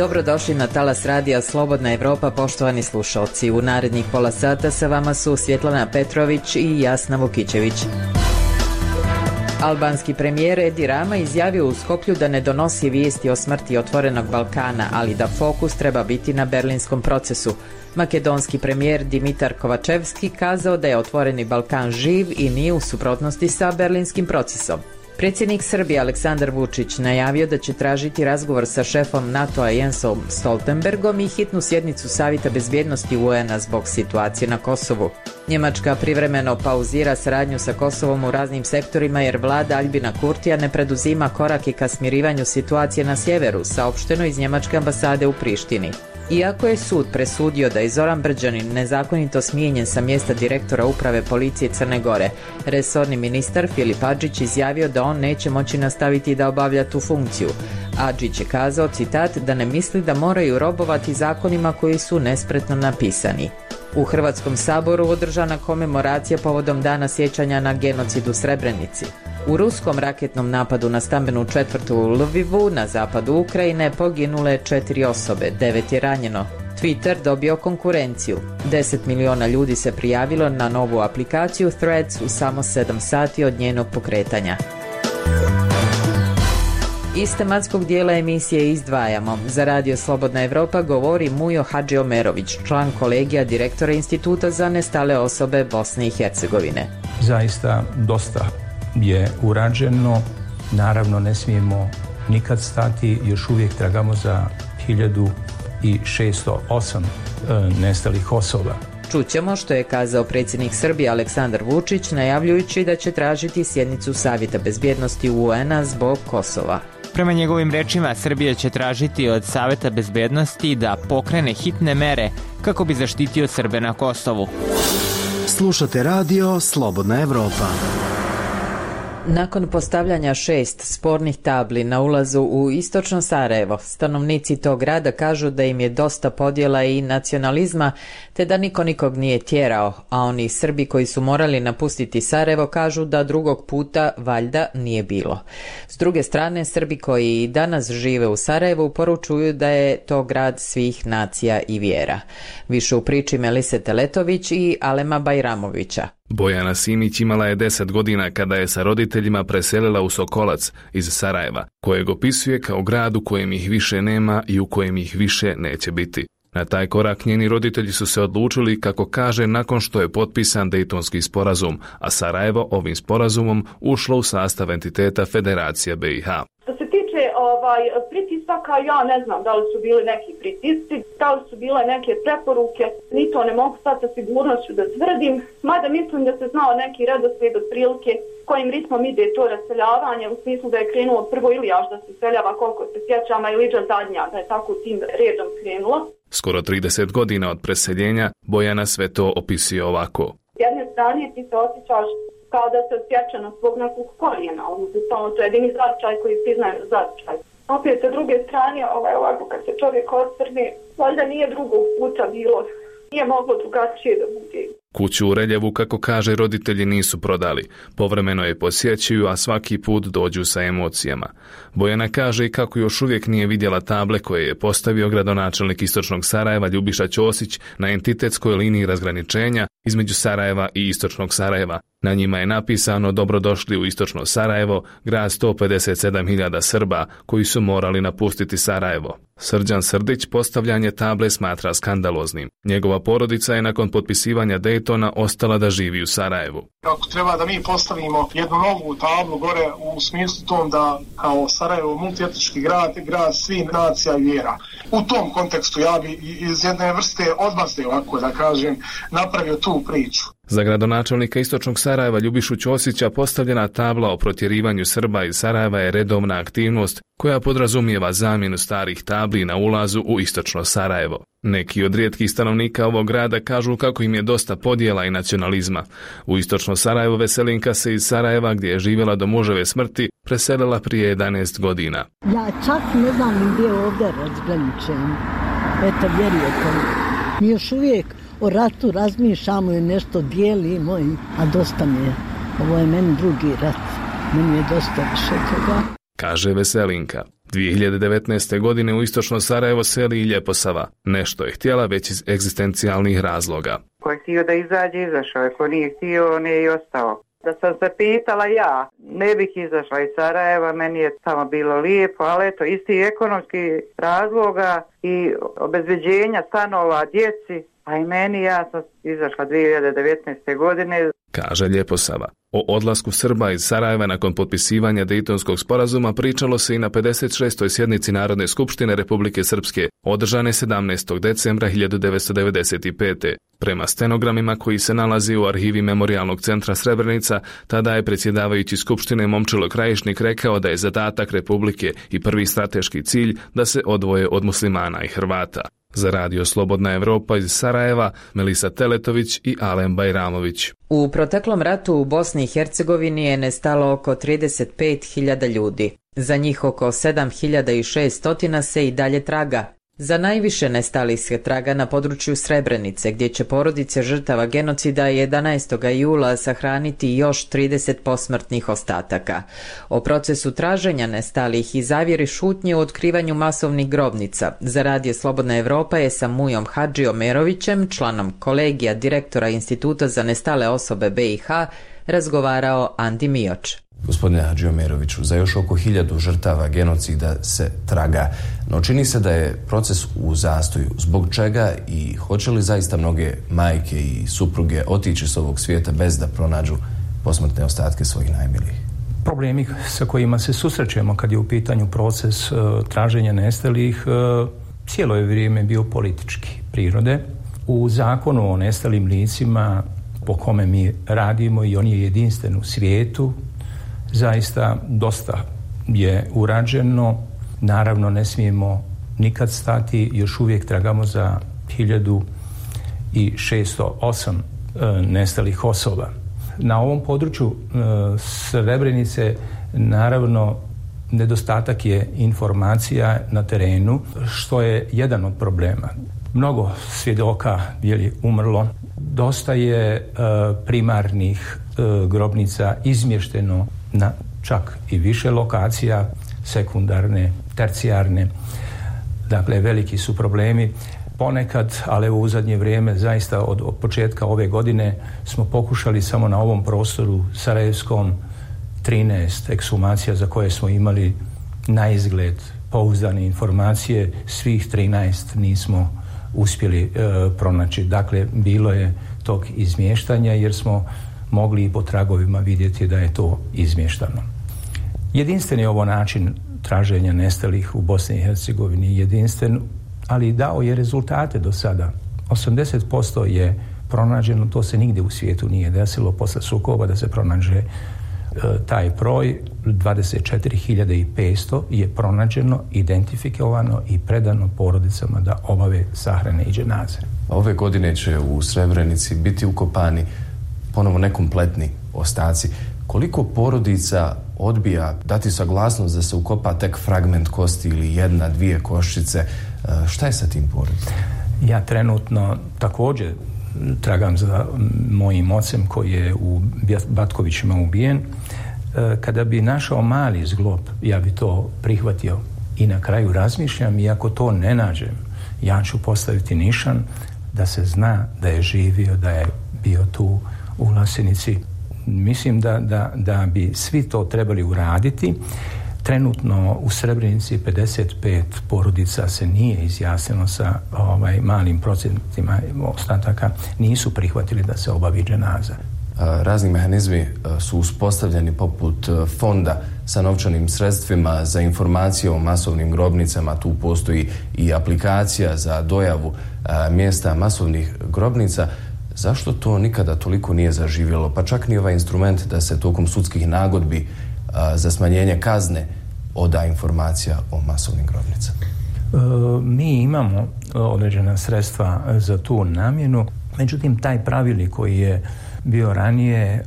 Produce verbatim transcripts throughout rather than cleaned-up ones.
Dobrodošli na talas radija Slobodna Evropa, poštovani slušalci. U narednih pola sata sa vama su Svjetlana Petrović i Jasna Vukićević. Albanski premijer Edi Rama izjavio u Skoplju da ne donosi vijesti o smrti Otvorenog Balkana, ali da fokus treba biti na berlinskom procesu. Makedonski premijer Dimitar Kovačevski kazao da je Otvoreni Balkan živ i nije u suprotnosti sa berlinskim procesom. Predsjednik Srbije Aleksandar Vučić najavio da će tražiti razgovor sa šefom NATO-a Jensom Stoltenbergom i hitnu sjednicu Savjeta bezbjednosti U N-a zbog situacije na Kosovu. Njemačka privremeno pauzira saradnju sa Kosovom u raznim sektorima jer vlada Aljbina Kurtija ne preduzima korake ka smirivanju situacije na sjeveru, saopšteno iz njemačke ambasade u Prištini. Iako je sud presudio da je Zoran Brđanin nezakonito smijenjen sa mjesta direktora uprave policije Crne Gore, resorni ministar Filip Adžić izjavio da on neće moći nastaviti da obavlja tu funkciju. Adžić je kazao, citat, da ne misli da moraju robovati zakonima koji su nespretno napisani. U Hrvatskom saboru održana komemoracija povodom dana sjećanja na genocid u Srebrenici. U ruskom raketnom napadu na stambenu četvrtu u Lvivu na zapadu Ukrajine poginule četiri osobe, devet je ranjeno. Twitter dobio konkurenciju. deset miliona ljudi se prijavilo na novu aplikaciju Threads u samo sedam sati od njenog pokretanja. Iz tematskog dijela emisije izdvajamo. Za Radio Slobodna Evropa govori Mujo Hadžiomerović, član kolegija direktora Instituta za nestale osobe Bosne i Hercegovine. Zaista dosta je urađeno. Naravno ne smijemo nikad stati, još uvijek tragamo za hiljadu šesto osam e, nestalih osoba. Čućemo što je kazao predsjednik Srbije Aleksandar Vučić najavljujući da će tražiti sjednicu Savjeta bezbjednosti U N-a zbog Kosova. Prema njegovim rečima, Srbija će tražiti od Savjeta bezbjednosti da pokrene hitne mere kako bi zaštitio Srbe na Kosovu. Slušate radio Slobodna Evropa. Nakon postavljanja šest spornih tabli na ulazu u istočno Sarajevo, stanovnici tog grada kažu da im je dosta podjela i nacionalizma, te da niko nikog nije tjerao, a oni Srbi koji su morali napustiti Sarajevo kažu da drugog puta valjda nije bilo. S druge strane, Srbi koji danas žive u Sarajevu poručuju da je to grad svih nacija i vjera. Više u priči Melise Teletović i Alema Bajramovića. Bojana Simić imala je deset godina kada je sa roditeljima preselila u Sokolac iz Sarajeva, kojeg opisuje kao grad u kojem ih više nema i u kojem ih više neće biti. Na taj korak njeni roditelji su se odlučili, kako kaže, nakon što je potpisan Dejtonski sporazum, a Sarajevo ovim sporazumom ušlo u sastav entiteta Federacija B i H. Ovaj, pritisaka, ja ne znam da li su bili neki pritisci, da li su bile neke preporuke, ni to ne mogu sad sa sigurnošću da tvrdim, mada mislim da se znao neki redoslijed otprilike kojim ritmom ide to raseljavanje, u smislu da je krenulo prvo Ilijaš da se seljava, koliko se sjećam, a Iliđa zadnja, da je tako tim redom krenulo. Skoro trideset godina od preseljenja Bojana sve to opisuje ovako. S jedne strane ti se osjećaš kao da se osjeća na svog nekog korijena, odnosno to je jedini značaj koji priznaje značaj. Opet sa druge strane, ovaj, ovako kad se čovjek osvrne, valjda nije drugog puta bilo, nije moglo drugačije da bude. Kuću u Reljevu, kako kaže, roditelji nisu prodali. Povremeno je posjećuju, a svaki put dođu sa emocijama. Bojana kaže i kako još uvijek nije vidjela table koje je postavio gradonačelnik istočnog Sarajeva Ljubiša Ćosić na entitetskoj liniji razgraničenja između Sarajeva i istočnog Sarajeva. Na njima je napisano dobrodošli u istočno Sarajevo, grad sto pedeset sedam hiljada Srba koji su morali napustiti Sarajevo. Srđan Srdić postavljanje table smatra skandaloznim. Njegova porodica je nakon potpisivanja Dejtona ostala da živi u Sarajevu. Ako treba da mi postavimo jednu novu tablu gore u smislu tom da kao Sarajevo multietnički grad, grad svih nacija i vjera. U tom kontekstu ja bi iz jedne vrste odmazde, ovako da kažem, napravio tu priču. Za gradonačelnika istočnog Sarajeva Ljubišu Ćosića postavljena tabla o protjerivanju Srba iz Sarajeva je redovna aktivnost koja podrazumijeva zamjenu starih tabli na ulazu u istočno Sarajevo. Neki od rijetkih stanovnika ovog grada kažu kako im je dosta podjela i nacionalizma. U istočno Sarajevo Veselinka se iz Sarajeva, gdje je živjela do muževe smrti, preselila prije jedanaest godina. Ja čak ne znam gdje je ovdje razgraničenje. Eto, vjerujete li. Mi još uvijek o ratu razmišljamo i nešto dijelimo, a dosta mi je. Ovo je meni drugi rat. Meni je dosta više toga. Kaže Veselinka. dvije hiljade devetnaeste. godine u istočno Sarajevo seli i Ljeposava. Nešto je htjela već iz egzistencijalnih razloga. Ko je htio da izađe, izašao je. Ko nije htio, on je i ostao. Da sam se pitala ja, ne bih izašla iz Sarajeva, meni je tamo bilo lijepo, ali eto, isti ekonomski razloga i obezbeđenja stanova djeci, a i meni, ja sam izašla dvije hiljade devetnaeste. godine. Kaže Ljeposava. O odlasku Srba iz Sarajeva nakon potpisivanja Dejtonskog sporazuma pričalo se i na pedeset šestoj sjednici Narodne skupštine Republike Srpske, održane sedamnaestog decembra hiljadu devetsto devedeset pete. Prema stenogramima koji se nalazi u arhivi Memorijalnog centra Srebrenica, tada je predsjedavajući Skupštine Momčilo Krajišnik rekao da je zadatak Republike i prvi strateški cilj da se odvoje od muslimana i Hrvata. Za Radio Slobodna Evropa iz Sarajeva, Melisa Teletović i Alen Bajramović. U proteklom ratu u Bosni i Hercegovini je nestalo oko trideset pet hiljada ljudi. Za njih oko sedam hiljada šesto se i dalje traga. Za najviše nestalih se traga na području Srebrenice, gdje će porodice žrtava genocida jedanaestog jula sahraniti još trideset posmrtnih ostataka. O procesu traženja nestalih i zavjeri šutnje u otkrivanju masovnih grobnica za Radio Slobodna Evropa je sa Mujom Hadži Omerovićem, članom kolegija direktora Instituta za nestale osobe B i H, razgovarao Andi Mioč. Gospodine Hadži Omeroviću, za još oko hiljadu žrtava genocida se traga, no čini se da je proces u zastoju. Zbog čega i hoće li zaista mnoge majke i supruge otići s ovog svijeta bez da pronađu posmrtne ostatke svojih najmilijih? Problemi sa kojima se susrećemo kad je u pitanju proces uh, traženja nestalih uh, cijelo je vrijeme bio politički prirode. U zakonu o nestalim licima po kome mi radimo, i on je jedinstven u svijetu, zaista dosta je urađeno. Naravno, ne smijemo nikad stati, još uvijek tragamo za hiljadu šesto osam e, nestalih osoba. Na ovom području e, Srebrenice, naravno, nedostatak je informacija na terenu, što je jedan od problema. Mnogo svjedoka je umrlo, dosta je e, primarnih e, grobnica izmješteno na čak i više lokacija, sekundarne, tercijarne. Dakle, veliki su problemi. Ponekad, ali u zadnje vrijeme, zaista od, od početka ove godine smo pokušali samo na ovom prostoru sarajevskom trinaest ekshumacija za koje smo imali na izgled pouzdane informacije, svih trinaest nismo uspjeli e, pronaći. Dakle, bilo je tog izmještanja jer smo mogli i po tragovima vidjeti da je to izmještano. Jedinstven je ovo način traženja nestalih u Bosni i Hercegovini, jedinstven, ali dao je rezultate do sada. osamdeset posto je pronađeno, to se nigdje u svijetu nije desilo posle sukoba da se pronađe e, taj broj. dvadeset četiri hiljade petsto je pronađeno, identifikovano i predano porodicama da obave sahrane i dženaze. Ove godine će u Srebrenici biti ukopani ponovo nekompletni ostaci. Koliko porodica odbija dati saglasnost da se ukopa tek fragment kosti ili jedna, dvije koščice? Šta je sa tim porodicama? Ja trenutno također tragam za mojim ocem koji je u Batkovićima ubijen. Kada bi našao mali zglob, ja bi to prihvatio i na kraju razmišljam, i ako to ne nađem, ja ću postaviti nišan da se zna da je živio, da je bio tu u Vlasenici. Mislim da, da, da bi svi to trebali uraditi. Trenutno u Srebrenici pedeset pet porodica se nije izjasnilo sa ovaj, malim procentima ostataka, nisu prihvatili da se obavi dženaza. Razni mehanizmi su uspostavljeni poput fonda sa novčanim sredstvima za informacije o masovnim grobnicama. Tu postoji i aplikacija za dojavu mjesta masovnih grobnica. Zašto to nikada toliko nije zaživjelo? Pa čak ni ovaj instrument da se tokom sudskih nagodbi a, za smanjenje kazne oda informacija o masovnim grobnicama. E, mi imamo određena sredstva za tu namjenu, međutim taj pravilnik koji je bio ranije, e,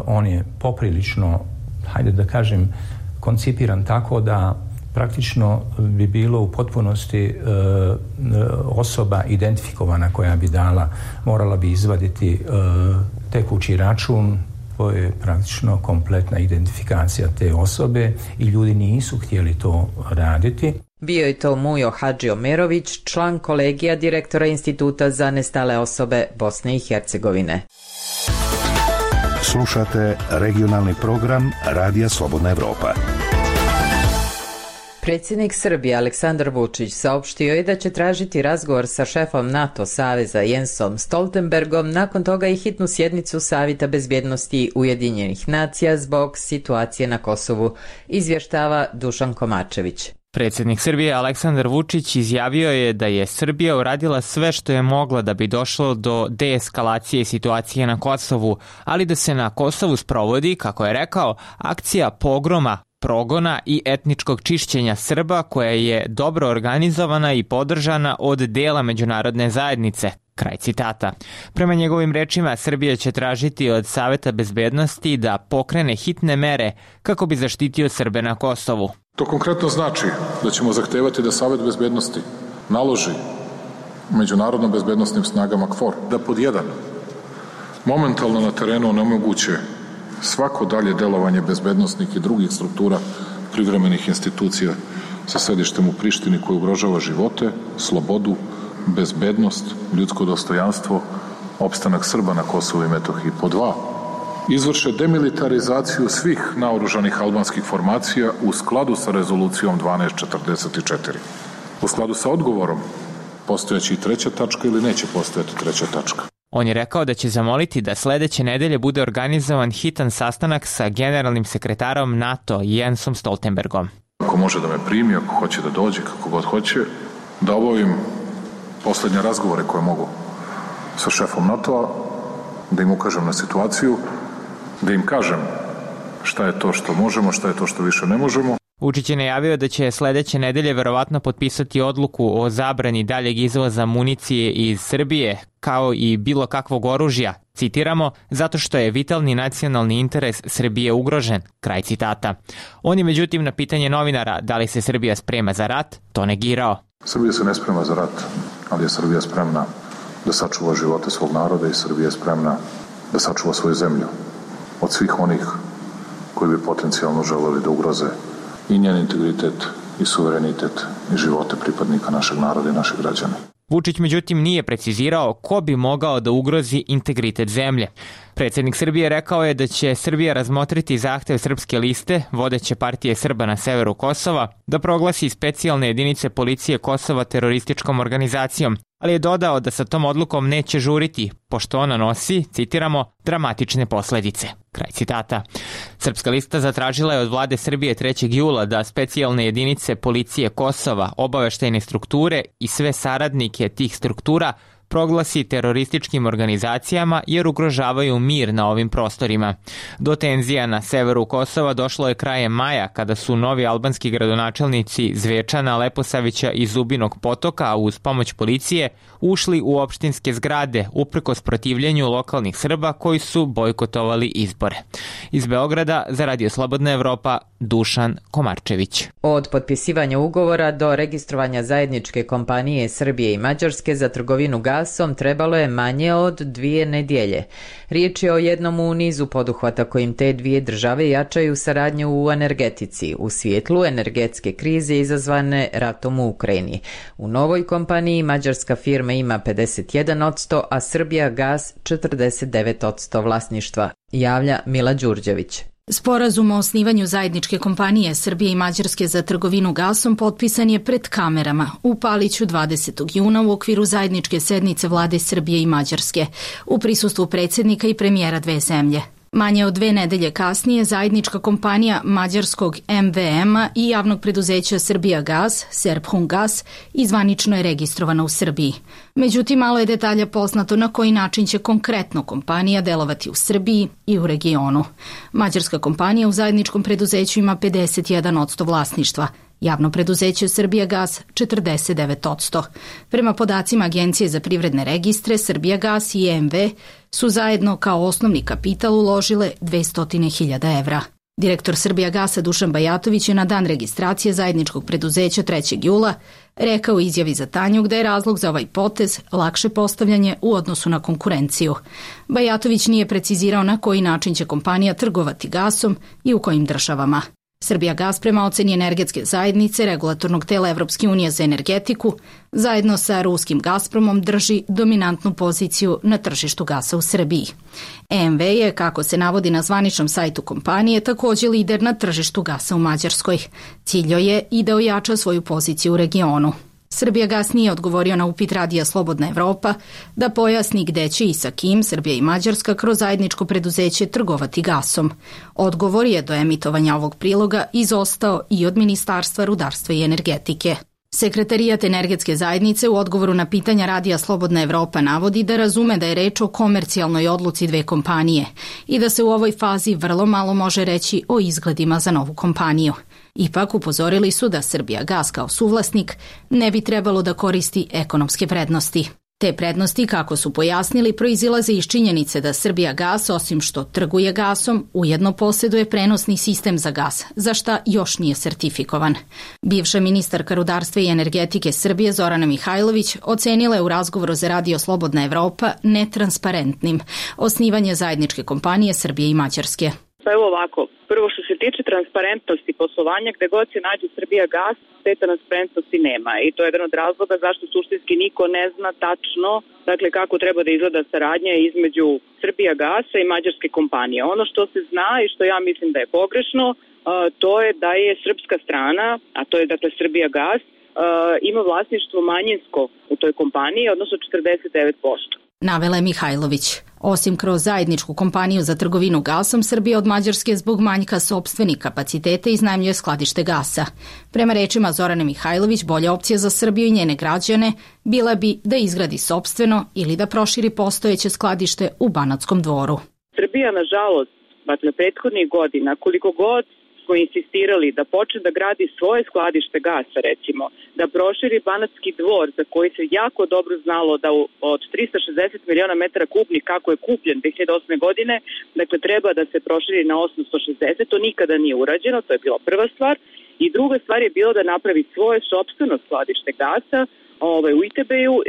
on je poprilično, hajde da kažem, koncipiran tako da praktično bi bilo u potpunosti e, osoba identifikovana koja bi dala, morala bi izvaditi e, tekući račun, To je praktično kompletna identifikacija te osobe i ljudi nisu htjeli to raditi. Bio je to Mujo Hadžiomerović, član kolegija direktora Instituta za nestale osobe Bosne i Hercegovine. Slušate regionalni program Radija Slobodna Evropa. Predsjednik Srbije Aleksandar Vučić saopštio je da će tražiti razgovor sa šefom NATO saveza Jensom Stoltenbergom, nakon toga i hitnu sjednicu Savjeta bezbjednosti Ujedinjenih nacija zbog situacije na Kosovu, izvještava Dušan Komačević. Predsjednik Srbije Aleksandar Vučić izjavio je da je Srbija uradila sve što je mogla da bi došlo do deeskalacije situacije na Kosovu, ali da se na Kosovu sprovodi, kako je rekao, akcija pogroma, progona i etničkog čišćenja Srba koja je dobro organizovana i podržana od dela međunarodne zajednice. Kraj citata. Prema njegovim rečima, Srbija će tražiti od Saveta bezbednosti da pokrene hitne mere kako bi zaštitio Srbe na Kosovu. To konkretno znači da ćemo zahtevati da Savet bezbednosti naloži međunarodno bezbednostnim snagama KFOR da pod jedan momentalno na terenu onemoguće svako dalje delovanje bezbednosnih i drugih struktura privremenih institucija sa sedištem u Prištini koji ugrožava živote, slobodu, bezbednost, ljudsko dostojanstvo, opstanak Srba na Kosovu i Metohiji. Po dva, izvrše demilitarizaciju svih naoružanih albanskih formacija u skladu sa rezolucijom dvanaest četrdeset četiri. U skladu sa odgovorom, postojeći i treća tačka ili neće postojati treća tačka. On je rekao da će zamoliti da sledeće nedelje bude organizovan hitan sastanak sa generalnim sekretarom NATO Jensom Stoltenbergom. Ako može da me primi, ako hoće da dođe, kako god hoće, da obavim poslednje razgovore koje mogu sa šefom NATO-a, da im ukažem na situaciju, da im kažem šta je to što možemo, šta je to što više ne možemo. Vučić je najavio da će sledeće nedelje verovatno potpisati odluku o zabrani daljeg izvoza municije iz Srbije, kao i bilo kakvog oružja, citiramo, zato što je vitalni nacionalni interes Srbije ugrožen, kraj citata. On je međutim na pitanje novinara da li se Srbija sprema za rat, to negirao. Srbija se ne sprema za rat, ali je Srbija spremna da sačuva živote svog naroda i Srbija je spremna da sačuva svoju zemlju od svih onih koji bi potencijalno želeli da ugroze i njen integritet i suverenitet i živote pripadnika našeg naroda i naših građana. Vučić međutim nije precizirao ko bi mogao da ugrozi integritet zemlje. Predsjednik Srbije rekao je da će Srbija razmotriti zahtev Srpske liste, vodeće partije Srba na severu Kosova, da proglasi specijalne jedinice policije Kosova terorističkom organizacijom, ali je dodao da sa tom odlukom neće žuriti, pošto ona nosi, citiramo, dramatične posledice. Kraj citata. Srpska lista zatražila je od vlade Srbije trećeg jula da specijalne jedinice policije Kosova, obaveštajne strukture i sve saradnike tih struktura proglasi terorističkim organizacijama jer ugrožavaju mir na ovim prostorima. Do tenzija na severu Kosova došlo je krajem maja kada su novi albanski gradonačelnici Zvečana, Leposavića i Zubinog Potoka uz pomoć policije ušli u opštinske zgrade uprkos protivljenju lokalnih Srba koji su bojkotovali izbore. Iz Beograda za Radio Slobodna Evropa, Dušan Komarčević. Od potpisivanja ugovora do registrovanja zajedničke kompanije Srbije i Mađarske za trgovinu gasom trebalo je manje od dvije nedjelje. Riječ je o jednom u nizu poduhvata kojim te dvije države jačaju saradnju u energetici u svjetlu energetske krize izazvane ratom u Ukrajini. U novoj kompaniji mađarska firma ima pedeset jedan posto, a Srbija gas četrdeset devet posto vlasništva, javlja Mila Đurđević. Sporazum o osnivanju zajedničke kompanije Srbije i Mađarske za trgovinu gasom potpisan je pred kamerama u Paliću dvadesetog juna u okviru zajedničke sednice vlade Srbije i Mađarske u prisustvu predsjednika i premijera dve zemlje. Manje od dve nedelje kasnije zajednička kompanija mađarskog em ve ema i javnog preduzeća Srbija gas, Serbhungas, izvanično je registrovana u Srbiji. Međutim, malo je detalja poznato na koji način će konkretno kompanija delovati u Srbiji i u regionu. Mađarska kompanija u zajedničkom preduzeću ima pedeset jedan posto vlasništva, javno preduzeće Srbija gas četrdeset devet posto. Prema podacima Agencije za privredne registre, Srbija gas i em ve su zajedno kao osnovni kapital uložile dvesta hiljada evra. Direktor Srbijagasa Dušan Bajatović je na dan registracije zajedničkog preduzeća trećeg jula rekao u izjavi za Tanjug da je razlog za ovaj potez lakše postavljanje u odnosu na konkurenciju. Bajatović nije precizirao na koji način će kompanija trgovati gasom i u kojim državama. Srbijagas prema oceni energetske zajednice regulatornog tela Evropske unije za energetiku zajedno sa ruskim Gazpromom drži dominantnu poziciju na tržištu gasa u Srbiji. E M V je, kako se navodi na zvaničnom sajtu kompanije, također lider na tržištu gasa u Mađarskoj. Cilj joj je i da ojača svoju poziciju u regionu. Srbijagas nije odgovorio na upit Radija Slobodna Evropa da pojasni gde će i sa kim Srbija i Mađarska kroz zajedničko preduzeće trgovati gasom. Odgovor je do emitovanja ovog priloga izostao i od Ministarstva rudarstva i energetike. Sekretarijat energetske zajednice u odgovoru na pitanja Radija Slobodna Evropa navodi da razume da je reč o komercijalnoj odluci dve kompanije i da se u ovoj fazi vrlo malo može reći o izgledima za novu kompaniju. Ipak upozorili su da Srbijagas kao suvlasnik ne bi trebalo da koristi ekonomske prednosti. Te prednosti, kako su pojasnili, proizilaze iz činjenice da Srbijagas, osim što trguje gasom, ujedno posjeduje prenosni sistem za gas, za šta još nije sertifikovan. Bivša ministarka rudarstva i energetike Srbije Zorana Mihajlović ocenila je u razgovoru za Radio Slobodna Evropa netransparentnim osnivanje zajedničke kompanije Srbije i Mađarske. Pa evo ovako, prvo što se tiče transparentnosti poslovanja, gde god se nađe Srbijagas, te transparentnosti nema i to je jedan od razloga zašto suštinski niko ne zna tačno dakle kako treba da izgleda saradnja između Srbijagasa i mađarske kompanije. Ono što se zna i što ja mislim da je pogrešno, to je da je srpska strana, a to je dakle Srbijagas, ima vlasništvo manjinsko u toj kompaniji, odnosno četrdeset devet posto. Navela je Mihajlović. Osim kroz zajedničku kompaniju za trgovinu gasom, Srbija od Mađarske zbog manjka sopstvenih kapaciteta iznajmljuje skladište gasa. Prema rečima Zorane Mihajlović, bolja opcija za Srbiju i njene građane bila bi da izgradi sopstveno ili da proširi postojeće skladište u Banatskom Dvoru. Srbija, nažalost, dakle, prethodnih godina, koliko god smo insistirali da počne da gradi svoje skladište gasa, recimo, da proširi Banatski Dvor, za koji se jako dobro znalo da od trista šezdeset miliona metara kubnih, kako je kupljen dve hiljade osme godine, dakle, treba da se proširi na osamsto šezdeset, to nikada nije urađeno, to je bila prva stvar. I druga stvar je bilo da napravi svoje sopstveno skladište gasa ovaj, u I T B-u, e,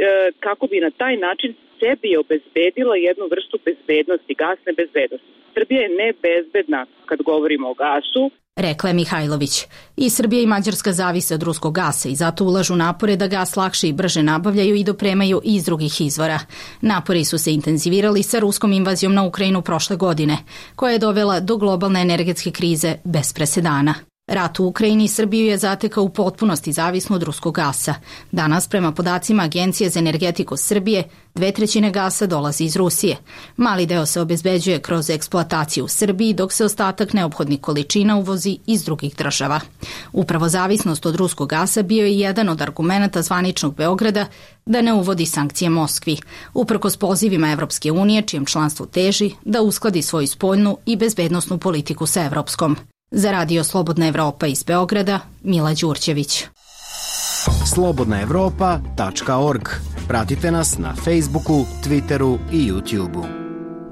kako bi na taj način sebi obezbedila jednu vrstu bezbednosti, gasne bezbednosti. Srbija je nebezbedna kad govorimo o gasu, rekla je Mihajlović. I Srbija i Mađarska zavise od ruskog gasa i zato ulažu napore da gas lakše i brže nabavljaju i dopremaju iz drugih izvora. Napori su se intenzivirali sa ruskom invazijom na Ukrajinu prošle godine, koja je dovela do globalne energetske krize bez presedana. Rat u Ukrajini Srbiju je zatekao u potpunosti zavisno od ruskog gasa. Danas, prema podacima Agencije za energetiku Srbije, dve trećine gasa dolazi iz Rusije. Mali deo se obezbeđuje kroz eksploataciju u Srbiji, dok se ostatak neophodnih količina uvozi iz drugih država. Upravo zavisnost od ruskog gasa bio je jedan od argumenata zvaničnog Beograda da ne uvodi sankcije Moskvi, uprkos pozivima Evropske unije, čijem članstvu teži da uskladi svoju spoljnu i bezbednosnu politiku sa evropskom. Za Radio Slobodna Evropa iz Beograda, Mila Đurđević. slobodna evropa tačka org. Pratite nas na Facebooku, Twitteru i YouTubeu.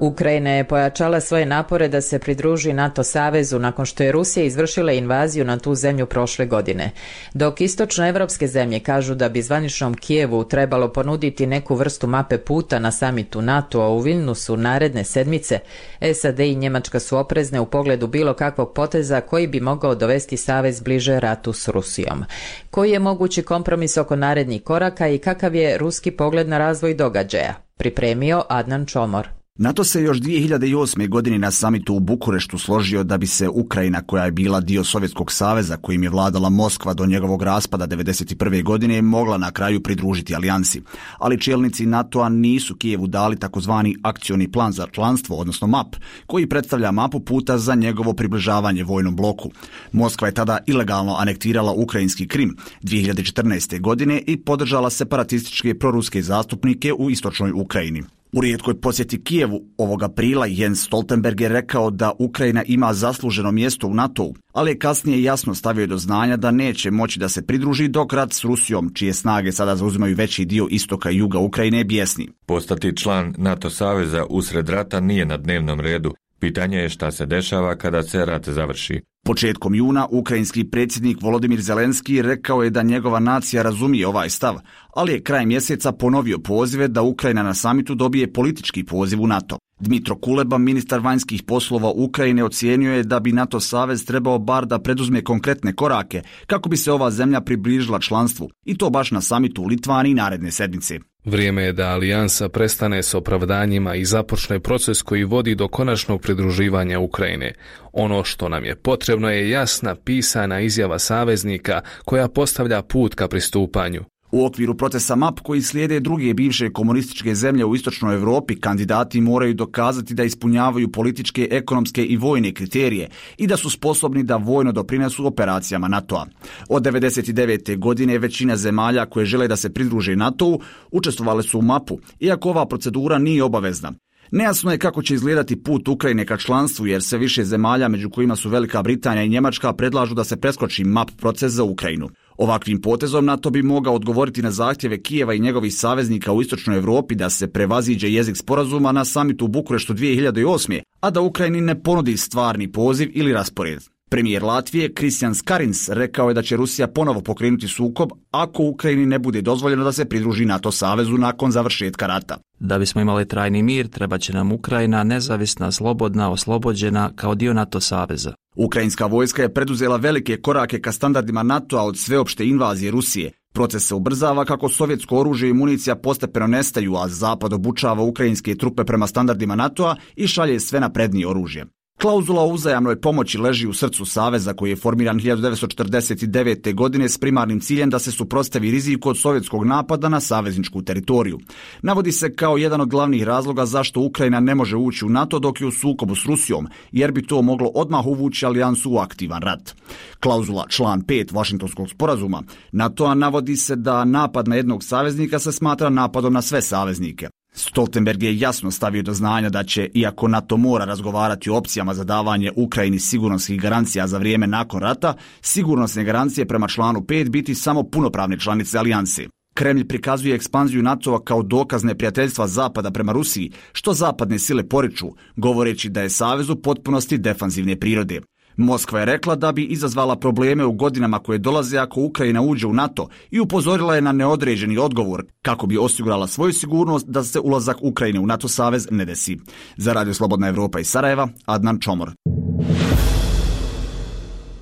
Ukrajina je pojačala svoje napore da se pridruži NATO savezu nakon što je Rusija izvršila invaziju na tu zemlju prošle godine. Dok istočnoevropske zemlje kažu da bi zvaničnom Kijevu trebalo ponuditi neku vrstu mape puta na samitu NATO-a u Vilnusu naredne sedmice, S A D i Njemačka su oprezne u pogledu bilo kakvog poteza koji bi mogao dovesti savez bliže ratu s Rusijom. Koji je mogući kompromis oko narednih koraka i kakav je ruski pogled na razvoj događaja? Pripremio Adnan Čomor. NATO se još dvije hiljade osme. godine na samitu u Bukureštu složio da bi se Ukrajina, koja je bila dio Sovjetskog saveza kojim je vladala Moskva do njegovog raspada devedeset prve. godine, mogla na kraju pridružiti alijansi. Ali čelnici NATO-a nisu Kijevu dali takozvani akcioni plan za članstvo, odnosno map, koji predstavlja mapu puta za njegovo približavanje vojnom bloku. Moskva je tada ilegalno anektirala ukrajinski Krim dvije hiljade četrnaeste. godine i podržala separatističke proruske zastupnike u istočnoj Ukrajini. U rijetkoj posjeti Kijevu ovog aprila Jens Stoltenberg je rekao da Ukrajina ima zasluženo mjesto u NATO-u, ali je kasnije jasno stavio do znanja da neće moći da se pridruži dok rat s Rusijom, čije snage sada zauzimaju veći dio istoka i juga Ukrajine, je bijesni. Postati član NATO saveza usred rata nije na dnevnom redu. Pitanje je šta se dešava kada se rat završi. Početkom juna ukrajinski predsjednik Volodimir Zelenski rekao je da njegova nacija razumije ovaj stav, ali je kraj mjeseca ponovio pozive da Ukrajina na samitu dobije politički poziv u NATO. Dmitro Kuleba, ministar vanjskih poslova Ukrajine, ocijenio je da bi NATO savez trebao bar da preduzme konkretne korake kako bi se ova zemlja približila članstvu, i to baš na samitu u Litvaniji naredne sedmice. Vrijeme je da alijansa prestane s opravdanjima i započne proces koji vodi do konačnog pridruživanja Ukrajine. Ono što nam je potrebno je jasna pisana izjava saveznika koja postavlja put ka pristupanju. U okviru procesa M A P koji slijede druge bivše komunističke zemlje u istočnoj Europi, kandidati moraju dokazati da ispunjavaju političke, ekonomske i vojne kriterije i da su sposobni da vojno doprinesu operacijama NATO-a. Od devedeset devete. godine većina zemalja koje žele da se pridruže NATO-u učestvovale su u M A P-u, iako ova procedura nije obavezna. Nejasno je kako će izgledati put Ukrajine ka članstvu, jer sve više zemalja, među kojima su Velika Britanija i Njemačka, predlažu da se preskoči M A P proces za Ukrajinu. Ovakvim potezom NATO bi mogao odgovoriti na zahtjeve Kijeva i njegovih saveznika u istočnoj Europi da se prevaziđe jezik sporazuma na samitu u Bukureštu dvije hiljade osme. a da Ukrajini ne ponudi stvarni poziv ili raspored. Premijer Latvije Kristijan Skarins rekao je da će Rusija ponovo pokrenuti sukob ako Ukrajini ne bude dozvoljeno da se pridruži NATO savezu nakon završetka rata. Da bismo imali trajni mir, treba će nam Ukrajina nezavisna, slobodna, oslobođena kao dio NATO saveza. Ukrajinska vojska je preduzela velike korake ka standardima NATO-a od sveopšte invazije Rusije. Proces se ubrzava kako sovjetsko oružje i municija postepeno nestaju, a Zapad obučava ukrajinske trupe prema standardima NATO-a i šalje sve naprednije oružje. Klauzula o uzajamnoj pomoći leži u srcu saveza koji je formiran hiljadu devetsto četrdeset devete. godine s primarnim ciljem da se suprotstavi riziku od sovjetskog napada na savezničku teritoriju. Navodi se kao jedan od glavnih razloga zašto Ukrajina ne može ući u NATO dok je u sukobu s Rusijom, jer bi to moglo odmah uvući alijansu u aktivan rat. Klauzula član pet Vašingtonskog sporazuma NATO-a navodi se da napad na jednog saveznika se smatra napadom na sve saveznike. Stoltenberg je jasno stavio do znanja da će, iako NATO mora razgovarati o opcijama za davanje Ukrajini sigurnosnih garancija za vrijeme nakon rata, sigurnosne garancije prema članu pet biti samo punopravne članice alijanse. Kremlj prikazuje ekspanziju NATO-a kao dokaz neprijateljstva Zapada prema Rusiji, što zapadne sile poriču, govoreći da je savez u potpunosti defanzivne prirode. Moskva je rekla da bi izazvala probleme u godinama koje dolaze ako Ukrajina uđe u NATO i upozorila je na neodređeni odgovor kako bi osigurala svoju sigurnost da se ulazak Ukrajine u NATO savez ne desi. Za Radio Slobodna Evropa iz Sarajeva, Adnan Čomor.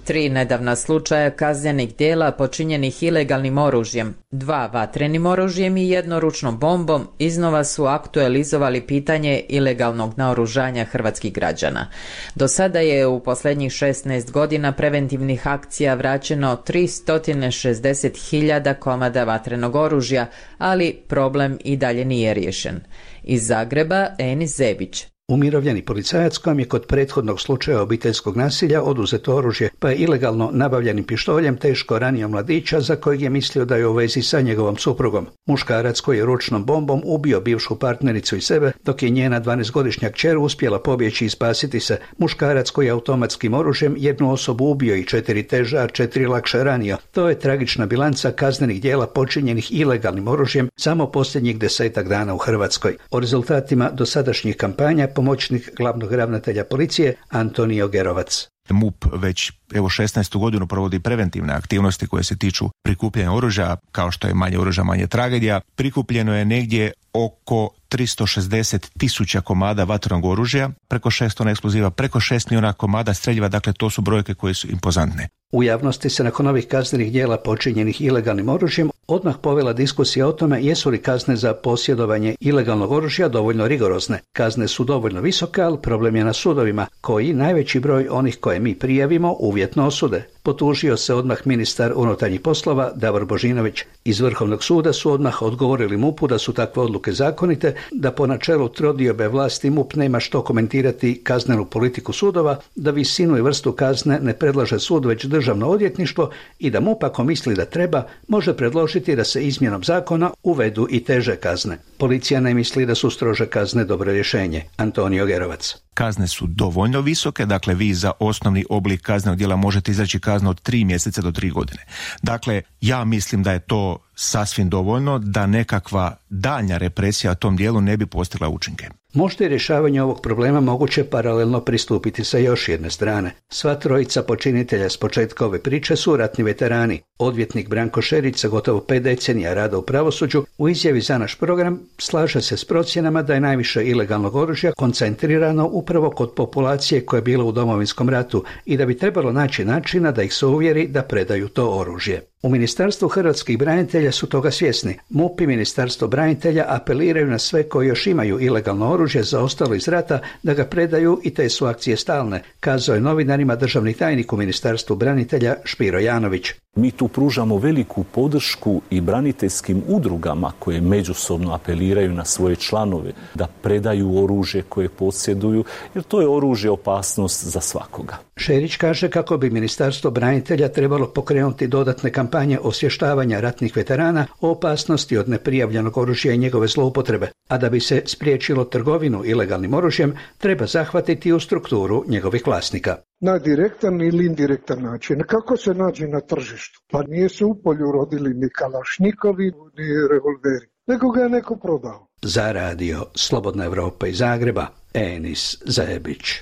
Tri nedavna slučaja kaznenih djela počinjenih ilegalnim oružjem, dva vatrenim oružjem i jedno ručnom bombom iznova su aktualizovali pitanje ilegalnog naoružanja hrvatskih građana. Do sada je u posljednjih šesnaest godina preventivnih akcija vraćeno tristo šezdeset hiljada komada vatrenog oružja, ali problem i dalje nije riješen. Iz Zagreba, Enis Zebić. Umirovljeni policajac kojem je kod prethodnog slučaja obiteljskog nasilja oduzeto oružje, pa je ilegalno nabavljenim pištoljem teško ranio mladića za kojeg je mislio da je u vezi sa njegovom suprugom. Muškarac koji je ručnom bombom ubio bivšu partnericu i sebe, dok je njena dvanaestogodišnja kćer uspjela pobjeći i spasiti se. Muškarac koji je automatskim oružjem jednu osobu ubio i četiri teže, a četiri lakše ranio. To je tragična bilanca kaznenih djela počinjenih ilegalnim oružjem samo posljednjih desetak dana u Hrvatskoj. O rezultatima dosadašnjih kampanja pomoćnik glavnog ravnatelja policije Antonio Gerovac. M U P već evo šesnaestu godinu provodi preventivne aktivnosti koje se tiču prikupljanja oružja, kao što je manje oružja, manje tragedija. Prikupljeno je negdje oko tristo šezdeset tisuća komada vatrenog oružja, preko šest tona eksploziva, preko šest milijuna komada streljiva, dakle to su brojke koje su impozantne. U javnosti se nakon ovih kaznenih djela počinjenih ilegalnim oružjem odmah povela diskusija o tome jesu li kazne za posjedovanje ilegalnog oružja dovoljno rigorozne. Kazne su dovoljno visoke, ali problem je na sudovima, koji najveći broj onih koje mi prijavimo uvjetno osude. Potužio se odmah ministar unutarnjih poslova Davor Božinović. Iz Vrhovnog suda su odmah odgovorili M U P-u da su takve odluke zakonite, da po načelu trodiobe vlasti M U P nema što komentirati kaznenu politiku sudova, da visinu i vrstu kazne ne predlaže sud već državno odvjetništvo i da M U P ako misli da treba može predložiti da se izmjenom zakona uvedu i teže kazne. Policija ne misli da su strože kazne dobro rješenje. Antonio Gerovac. Kazne su dovoljno visoke, dakle vi za osnovni oblik kaznenog djela možete izreći kaznu od tri mjeseca do tri godine. Dakle, ja mislim da je to sasvim dovoljno da nekakva daljnja represija u tom dijelu ne bi postigla učinke. Možda je rješavanje ovog problema moguće paralelno pristupiti sa još jedne strane. Sva trojica počinitelja s početka ove priče su ratni veterani. Odvjetnik Branko Šerić sa gotovo pet decenija rada u pravosuđu u izjavi za naš program slaže se s procjenama da je najviše ilegalnog oružja koncentrirano upravo kod populacije koja je bila u Domovinskom ratu i da bi trebalo naći načina da ih se uvjeri da predaju to oružje. U Ministarstvu hrvatskih branitelja su toga svjesni. M U P i Ministarstvo branitelja apeliraju na sve koji još imaju ilegalno oružje zaostalo iz rata da ga predaju i te su akcije stalne, kazao je novinarima državni tajnik u Ministarstvu branitelja Špiro Janović. Mi tu pružamo veliku podršku i braniteljskim udrugama koje međusobno apeliraju na svoje članove da predaju oružje koje posjeduju, jer to je oružje opasnost za svakoga. Šerić kaže kako bi Ministarstvo branitelja trebalo pokrenuti dodatne kampanje osvještavanja ratnih veterana o opasnosti od neprijavljenog oružja i njegove zloupotrebe, a da bi se spriječilo trgovinu ilegalnim oružjem, treba zahvatiti u strukturu njegovih vlasnika. Na direktan ili indirektan način. Kako se nađe na tržištu? Pa nije se u polju rodili ni kalašnjikovi, ni revolveri, nego ga je neko prodao. Za radio Slobodna Evropa iz Zagreba, Enis Zajebić.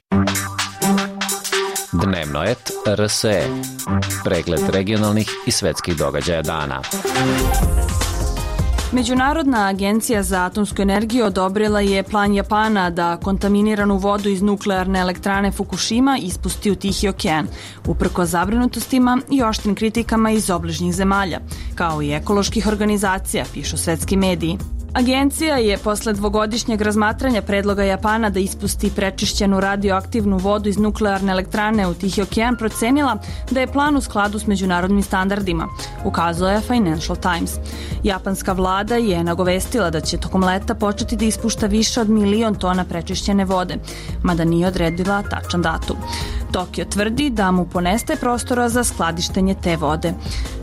Dnevno et R S E. Pregled regionalnih i svetskih događaja dana. Međunarodna agencija za atomsku energiju odobrila je plan Japana da kontaminiranu vodu iz nuklearne elektrane Fukushima ispusti u Tihi okean, uprkos zabrinutostima i oštrim kritikama iz obližnjih zemalja, kao i ekoloških organizacija, pišu svetski mediji. Agencija je posle dvogodišnjeg razmatranja predloga Japana da ispusti prečišćenu radioaktivnu vodu iz nuklearne elektrane u Tihi okean procenila da je plan u skladu s međunarodnim standardima, ukazao je Financial Times. Japanska vlada je nagovestila da će tokom leta početi da ispušta više od milion tona prečišćene vode, mada nije odredila tačan datum. Tokio tvrdi da mu ponestaje prostora za skladištenje te vode.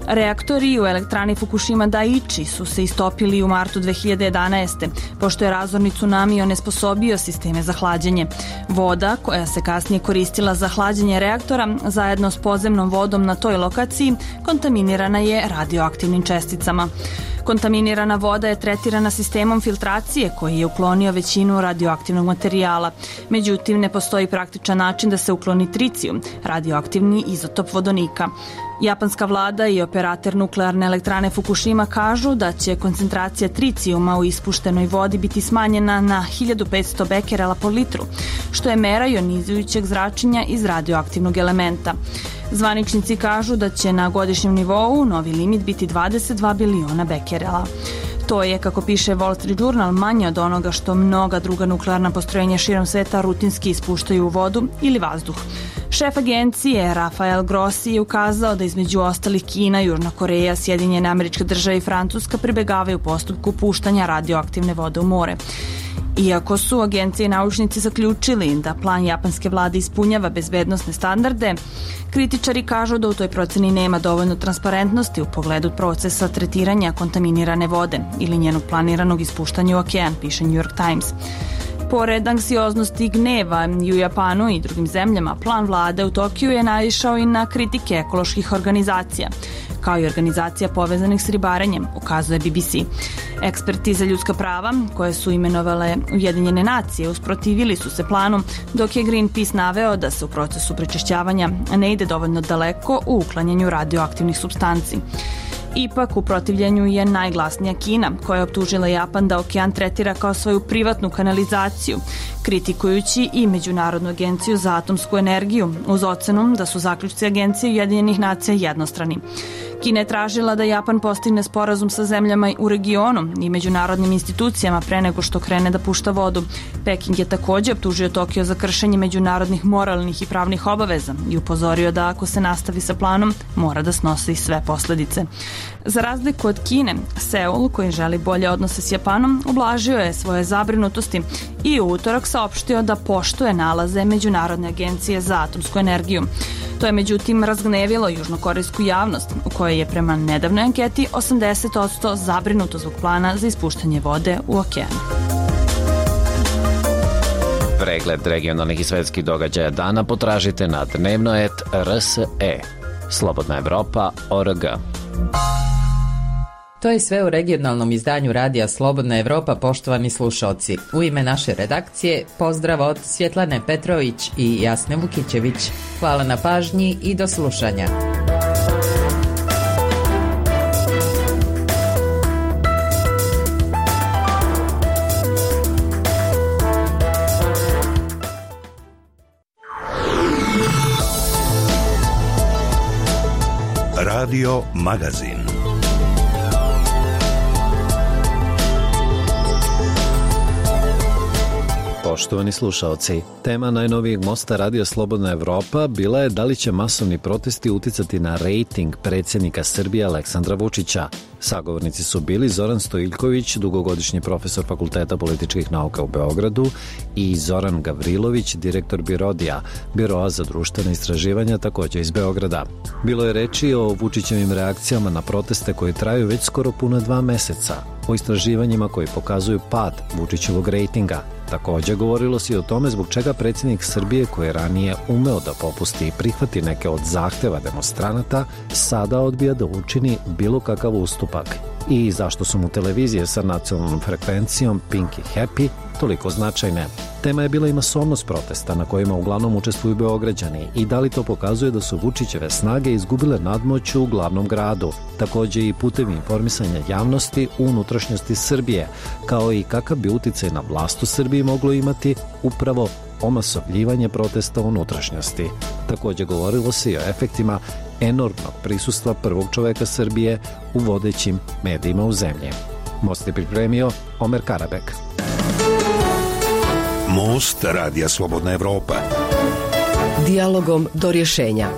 Reaktori u elektrani Fukushima Daiichi su se istopili u martu dve hiljade jedanaeste. pošto je razorni tsunami onesposobio sisteme za hlađenje. Voda, koja se kasnije koristila za hlađenje reaktora, zajedno s podzemnom vodom na toj lokaciji, kontaminirana je radioaktivnim česticama. Kontaminirana voda je tretirana sistemom filtracije koji je uklonio većinu radioaktivnog materijala. Međutim, ne postoji praktičan način da se ukloni tricijum, radioaktivni izotop vodonika. Japanska vlada i operator nuklearne elektrane Fukushima kažu da će koncentracija tricijuma u ispuštenoj vodi biti smanjena na hiljadu petsto bekerela po litru, što je mera jonizujućeg zračenja iz radioaktivnog elementa. Zvaničnici kažu da će na godišnjem nivou novi limit biti dvadeset dva biliona bekerela. To je, kako piše Wall Street Journal, manje od onoga što mnoga druga nuklearna postrojenja širom sveta rutinski ispuštaju u vodu ili vazduh. Šef agencije Rafael Grossi je ukazao da između ostalih Kina, Južna Koreja, Sjedinjene Američke Države i Francuska pribegavaju postupku puštanja radioaktivne vode u more. Iako su agencije i naučnici zaključili da plan japanske vlade ispunjava bezbednosne standarde, kritičari kažu da u toj proceni nema dovoljno transparentnosti u pogledu procesa tretiranja kontaminirane vode ili njenog planiranog ispuštanja u okean, piše New York Times. Pored anksioznosti i gneva i u Japanu i drugim zemljama, plan vlade u Tokiju je naišao i na kritike ekoloških organizacija, kao i organizacija povezanih s ribarenjem, ukazuje B B C. Eksperti za ljudska prava, koje su imenovale Ujedinjene nacije, usprotivili su se planu, dok je Greenpeace naveo da se u procesu prečišćavanja ne ide dovoljno daleko u uklanjanju radioaktivnih supstanci. Ipak, u protivljenju je najglasnija Kina, koja je optužila Japan da okean tretira kao svoju privatnu kanalizaciju, kritikujući i Međunarodnu agenciju za atomsku energiju, uz ocenu da su zaključci Agencije Ujedinjenih nacija jednostrani. Kina je tražila da Japan postigne sporazum sa zemljama u regionu i međunarodnim institucijama pre nego što krene da pušta vodu. Peking je također optužio Tokio za kršenje međunarodnih moralnih i pravnih obaveza i upozorio da ako se nastavi sa planom, mora da snosi sve posledice. Za razliku od Kine, Seul, koji želi bolje odnose s Japanom, ublažio je svoje zabrinutosti i u utorak saopštio da poštuje nalaze Međunarodne agencije za atomsku energiju. To je međutim razgnevilo južnokorejsku javnost, u kojoj je prema nedavnoj anketi osamdeset posto zabrinuto zbog plana za ispuštanje vode u okean. Pregled regionalnih i svetskih događaja dana potražite na dnevno et R S E. Slobodna Evropa, O R G. To je sve u regionalnom izdanju Radija Slobodna Evropa, poštovani slušaoci. U ime naše redakcije pozdrav od Svjetlane Petrović i Jasne Vukićević. Hvala na pažnji i do slušanja. Radio Magazin. Poštovani slušaoci, tema najnovijeg mosta Radio Slobodna Evropa bila je da li će masovni protesti uticati na rejting predsjednika Srbije Aleksandra Vučića. Sagovornici su bili Zoran Stojiljković, dugogodišnji profesor Fakulteta političkih nauka u Beogradu, i Zoran Gavrilović, direktor Birodija, Biroa za društvene istraživanja, također iz Beograda. Bilo je reči o Vučićevim reakcijama na proteste koji traju već skoro puna dva meseca, o istraživanjima koji pokazuju pad Vučićevog rejtinga. Također govorilo se i o tome zbog čega predsjednik Srbije, koji je ranije umeo da popusti i prihvati neke od zahteva demonstranata, sada odbija da učini bilo kakav ustupak. I zašto su mu televizije sa nacionalnom frekvencijom Pink i Happy toliko značajne. Tema je bila i masovnost protesta na kojima uglavnom učestvuju Beograđani i da li to pokazuje da su Vučićeve snage izgubile nadmoć u glavnom gradu. Također i putevi informisanja javnosti u unutrašnjosti Srbije, kao i kakav bi uticaj na vlast u Srbiji moglo imati upravo omasovljivanje protesta u unutrašnjosti. Također govorilo se i o efektima enormnog prisustva prvog čoveka Srbije u vodećim medijima u zemlji. Most je pripremio Omer Karabek. Most Radija Slobodna Evropa. Dijalogom do rješenja.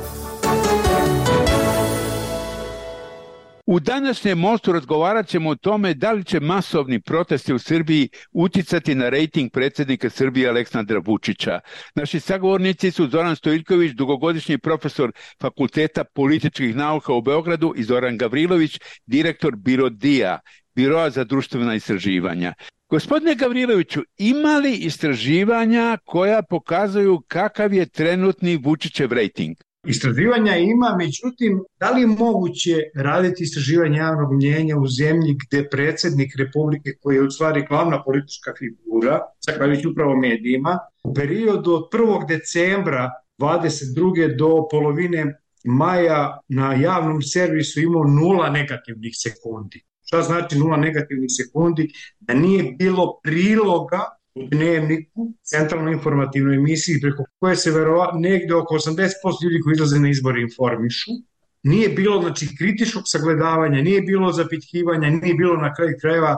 U današnjem mostu razgovarat ćemo o tome da li će masovni protesti u Srbiji uticati na rejting predsjednika Srbije Aleksandra Vučića. Naši sagovornici su Zoran Stojiljković, dugogodišnji profesor Fakulteta političkih nauka u Beogradu, i Zoran Gavrilović, direktor Birodija, Biroa za društvena istraživanja. Gospodine Gavriloviću, ima li istraživanja koja pokazuju kakav je trenutni Vučićev rejting? Istraživanja ima, međutim, da li je moguće raditi istraživanje javnog mnjenja u zemlji gde predsjednik Republike, koji je u stvari glavna politička figura, zahvaljujući upravo medijima, u periodu od prvog decembra dvadeset druge do polovine maja na javnom servisu imao nula negativnih sekundi. Šta znači nula negativnih sekundi? Da nije bilo priloga u Dnevniku, centralnoj informativnoj emisiji, preko koje se verovatno negde oko osamdeset posto ljudi koji izlaze na izbore informišu. Nije bilo, znači, kritičkog sagledavanja, nije bilo zapitkivanja, nije bilo na kraju krajeva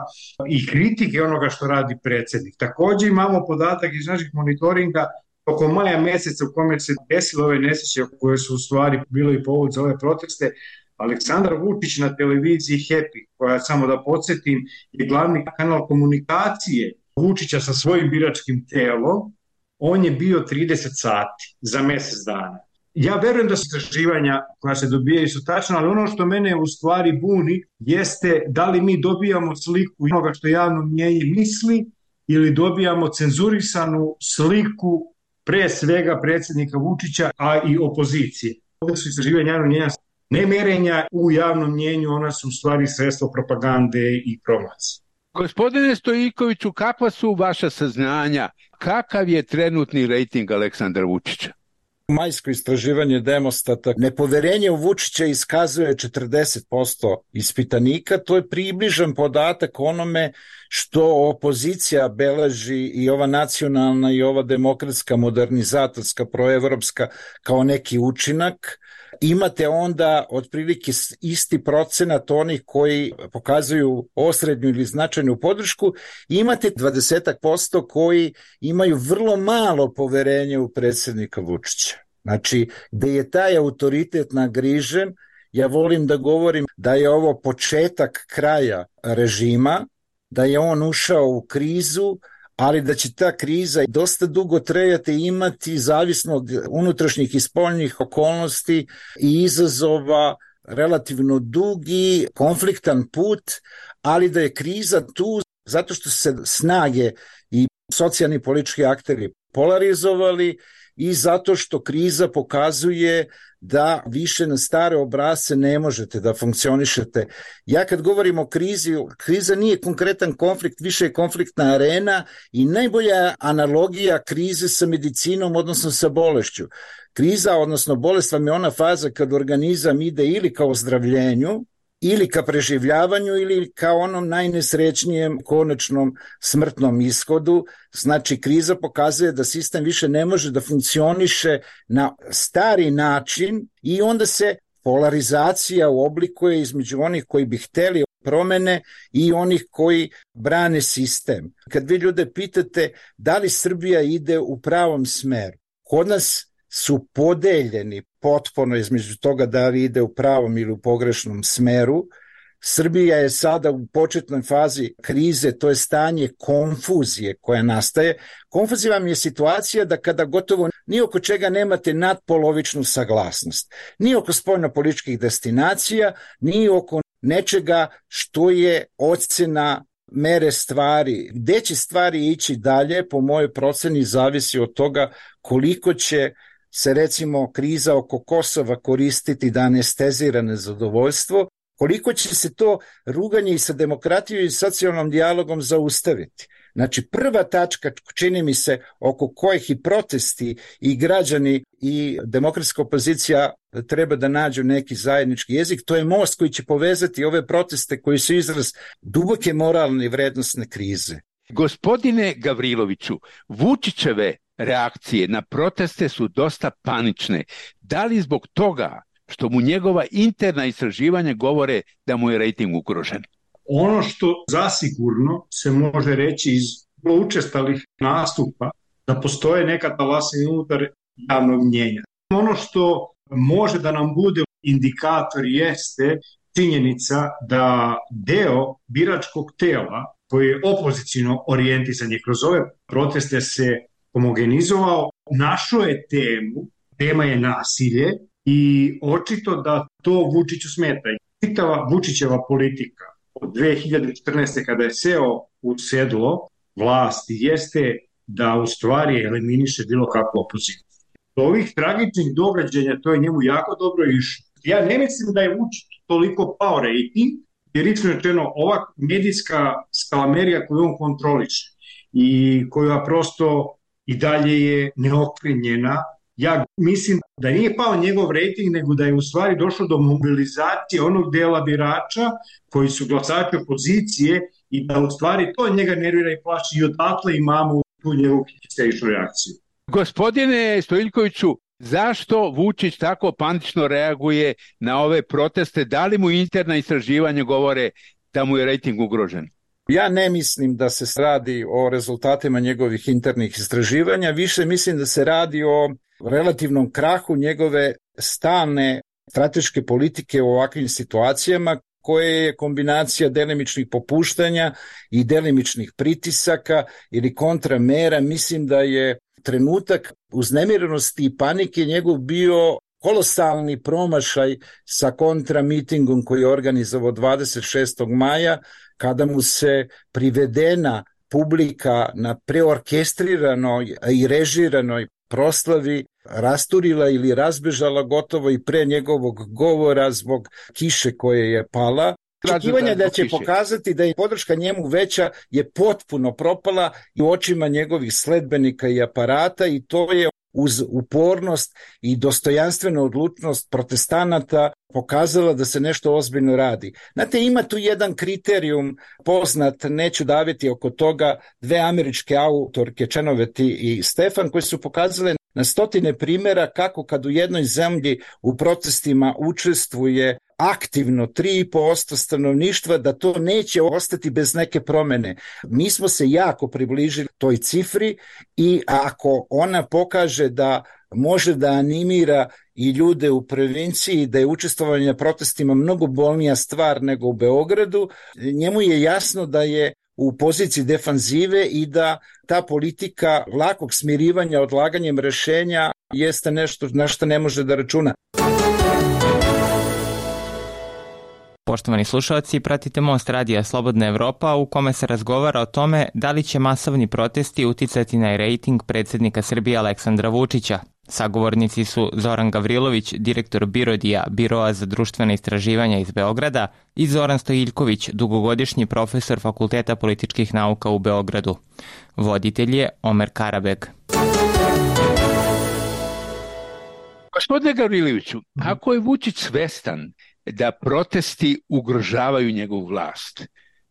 i kritike onoga što radi predsjednik. Također imamo podatak iz naših monitoringa oko maja meseca u kome se desilo ove nesreće koje su u stvari bilo i povod za ove proteste. Aleksandar Vučić na televiziji Happy, koja, samo da podsjetim, je glavni kanal komunikacije Vučića sa svojim biračkim telom, on je bio trideset sati za mjesec dana. Ja verujem da su istraživanja koja se dobijaju su tačna, ali ono što mene u stvari buni jeste da li mi dobijamo sliku onoga što javno mnjenje misli ili dobijamo cenzurisanu sliku pre svega predsjednika Vučića, a i opozicije. Ovdje su istraživanja javnog mnjenja ne merenja u javnom mnjenju, ona su u stvari sredstvo propagande i promocije. Gospodine Stojiljkoviću, kakva su vaša saznanja? Kakav je trenutni rejting Aleksandra Vučića? Majsko istraživanje Demostata nepoverenje u Vučića iskazuje četrdeset posto ispitanika. To je približan podatak onome što opozicija beleži, i ova nacionalna i ova demokratska, modernizatorska, proevropska, kao neki učinak. Imate onda otprilike isti procenat onih koji pokazuju osrednju ili značajnu podršku, i imate dvadeset posto koji imaju vrlo malo poverenje u predsjednika Vučića. Znači, gde je taj autoritet nagrižen, ja volim da govorim da je ovo početak kraja režima, da je on ušao u krizu, ali da će ta kriza dosta dugo trajati i imati, zavisno od unutrašnjih i spoljnih okolnosti i izazova, relativno dugi, konfliktan put, ali da je kriza tu zato što se snage i socijalni politički akteri polarizovali i zato što kriza pokazuje da više na stare obrasce ne možete da funkcionišete. Ja kad govorim o krizi, kriza nije konkretan konflikt, više je konfliktna arena i najbolja analogija krize sa medicinom, odnosno sa bolešću. Kriza, odnosno bolest vam je ona faza kad organizam ide ili ka ozdravljenju, ili ka preživljavanju ili ka onom najnesrećnijem konačnom smrtnom ishodu. Znači, kriza pokazuje da sistem više ne može da funkcioniše na stari način i onda se polarizacija oblikuje između onih koji bi hteli promene i onih koji brane sistem. Kad vi ljude pitate da li Srbija ide u pravom smeru, kod nas su podeljeni potpuno između toga da li ide u pravom ili u pogrešnom smeru. Srbija je sada u početnoj fazi krize, to je stanje konfuzije koja nastaje. Konfuzija vam je situacija da kada gotovo ni oko čega nemate nadpolovičnu saglasnost. Ni oko spoljnopolitičkih destinacija, ni oko nečega što je ocena mere stvari. Gde će stvari ići dalje, po mojoj proceni, zavisi od toga koliko će se recimo kriza oko Kosova koristiti da anestezira nezadovoljstvo, koliko će se to ruganje i sa demokratijom i socijalnom dijalogom zaustaviti. Znači, prva tačka, čini mi se, oko kojih i protesti i građani i demokratska opozicija treba da nađu neki zajednički jezik, to je most koji će povezati ove proteste koji su izraz duboke moralne i vrednostne krize. Gospodine Gavriloviću, Vučićeve reakcije na proteste su dosta panične. Da li zbog toga što mu njegova interna istraživanja govore da mu je rejting ugrožen? Ono što zasigurno se može reći iz učestalih nastupa da postoje neka talasina unutar javnog mnjenja. Ono što može da nam bude indikator jeste činjenica da deo biračkog tela koji je opozicijno orijentisan je kroz ove proteste se homogenizovao, našao je temu, tema je nasilje i očito da to Vučiću smeta. Čitava Vučićeva politika od dve hiljade četrnaeste. kada je seo u sedlo vlasti jeste da u stvari eliminiše bilo kakvu opoziciju. Do ovih tragičnih događanja to je njemu jako dobro išlo. Ja ne mislim da je Vučić toliko pao rejting, jer iskreno rečeno ova medijska skalamerija koju on kontroliše i koja prosto i dalje je neokrenjena. Ja mislim da nije pao njegov rejting, nego da je u stvari došlo do mobilizacije onog dela birača koji su glasači opozicije i da u stvari to njega nervira i plaši i odatle imamo tu njegovu histeričnu reakciju. Gospodine Stojiljkoviću, zašto Vučić tako panično reaguje na ove proteste? Da li mu interna istraživanja govore da mu je rejting ugrožen? Ja ne mislim da se radi o rezultatima njegovih internih istraživanja, više mislim da se radi o relativnom krahu njegove stalne strateške politike u ovakvim situacijama, koje je kombinacija delimičnih popuštanja i delimičnih pritisaka ili kontramera. Mislim da je trenutak uznemirenosti i panike njegov bio kolosalni promašaj sa kontramitingom koji je organizovao dvadeset šestog maja, kada mu se privedena publika na preorkestriranoj i režiranoj proslavi rasturila ili razbežala gotovo i pre njegovog govora zbog kiše koje je pala. Očekivanja da će pokazati da je podrška njemu veća je potpuno propala i u očima njegovih sledbenika i aparata, i to je uz upornost i dostojanstvenu odlučnost protestanata pokazala da se nešto ozbiljno radi. Znate, ima tu jedan kriterijum poznat, neću daviti oko toga, dve američke autorke, Čenoveti i Stefan, koji su pokazale na stotine primjera kako kad u jednoj zemlji u protestima učestvuje aktivno tri i po posto stanovništva, da to neće ostati bez neke promene. Mi smo se jako približili toj cifri i ako ona pokaže da može da animira i ljude u provinciji, da je učestvovanje na protestima mnogo bolnija stvar nego u Beogradu, njemu je jasno da je u poziciji defanzive i da ta politika lakog smirivanja odlaganjem rešenja jeste nešto na što ne može da računa. Poštovani slušalci, pratite Most radija Slobodna Evropa u kome se razgovara o tome da li će masovni protesti uticati na rejting predsjednika Srbije Aleksandra Vučića. Sagovornici su Zoran Gavrilović, direktor Birodija, Biroa za društvene istraživanja iz Beograda, i Zoran Stojiljković, dugogodišnji profesor Fakulteta političkih nauka u Beogradu. Voditelj je Omer Karabeg. Gospodine Gavriloviću, ako je Vučić svestan da protesti ugrožavaju njegovu vlast,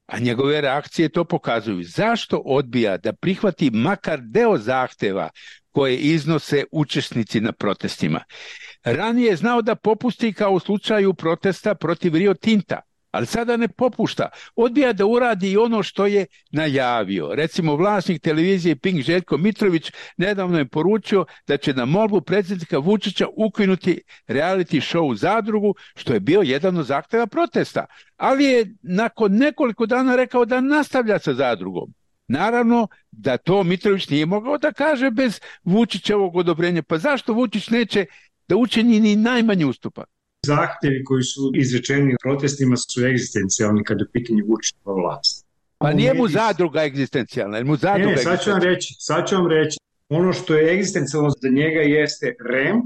a njegove reakcije to pokazuju, zašto odbija da prihvati makar deo zahteva koje iznose učesnici na protestima? Ranije je znao da popusti kao u slučaju protesta protiv Rio Tinta, ali sada ne popušta. Odbija da uradi i ono što je najavio. Recimo, vlasnik televizije Pink Željko Mitrović nedavno je poručio da će na molbu predsjednika Vučića ukinuti reality show Zadrugu, što je bio jedan od zahteva protesta. Ali je nakon nekoliko dana rekao da nastavlja sa Zadrugom. Naravno da to Mitrović nije mogao da kaže bez Vučićevog odobrenja. Pa zašto Vučić neće da učini ni najmanji ustupak? Zahtevi koji su izrečeni u protestima su egzistencijalni kada je pitanje Vučićeva vlast. Pa nije mu Zadruga egzistencijalna, jer mu Zadruga ne, sad ću vam reći, sad ću vam reći. Ono što je egzistencijalno za njega jeste R E M,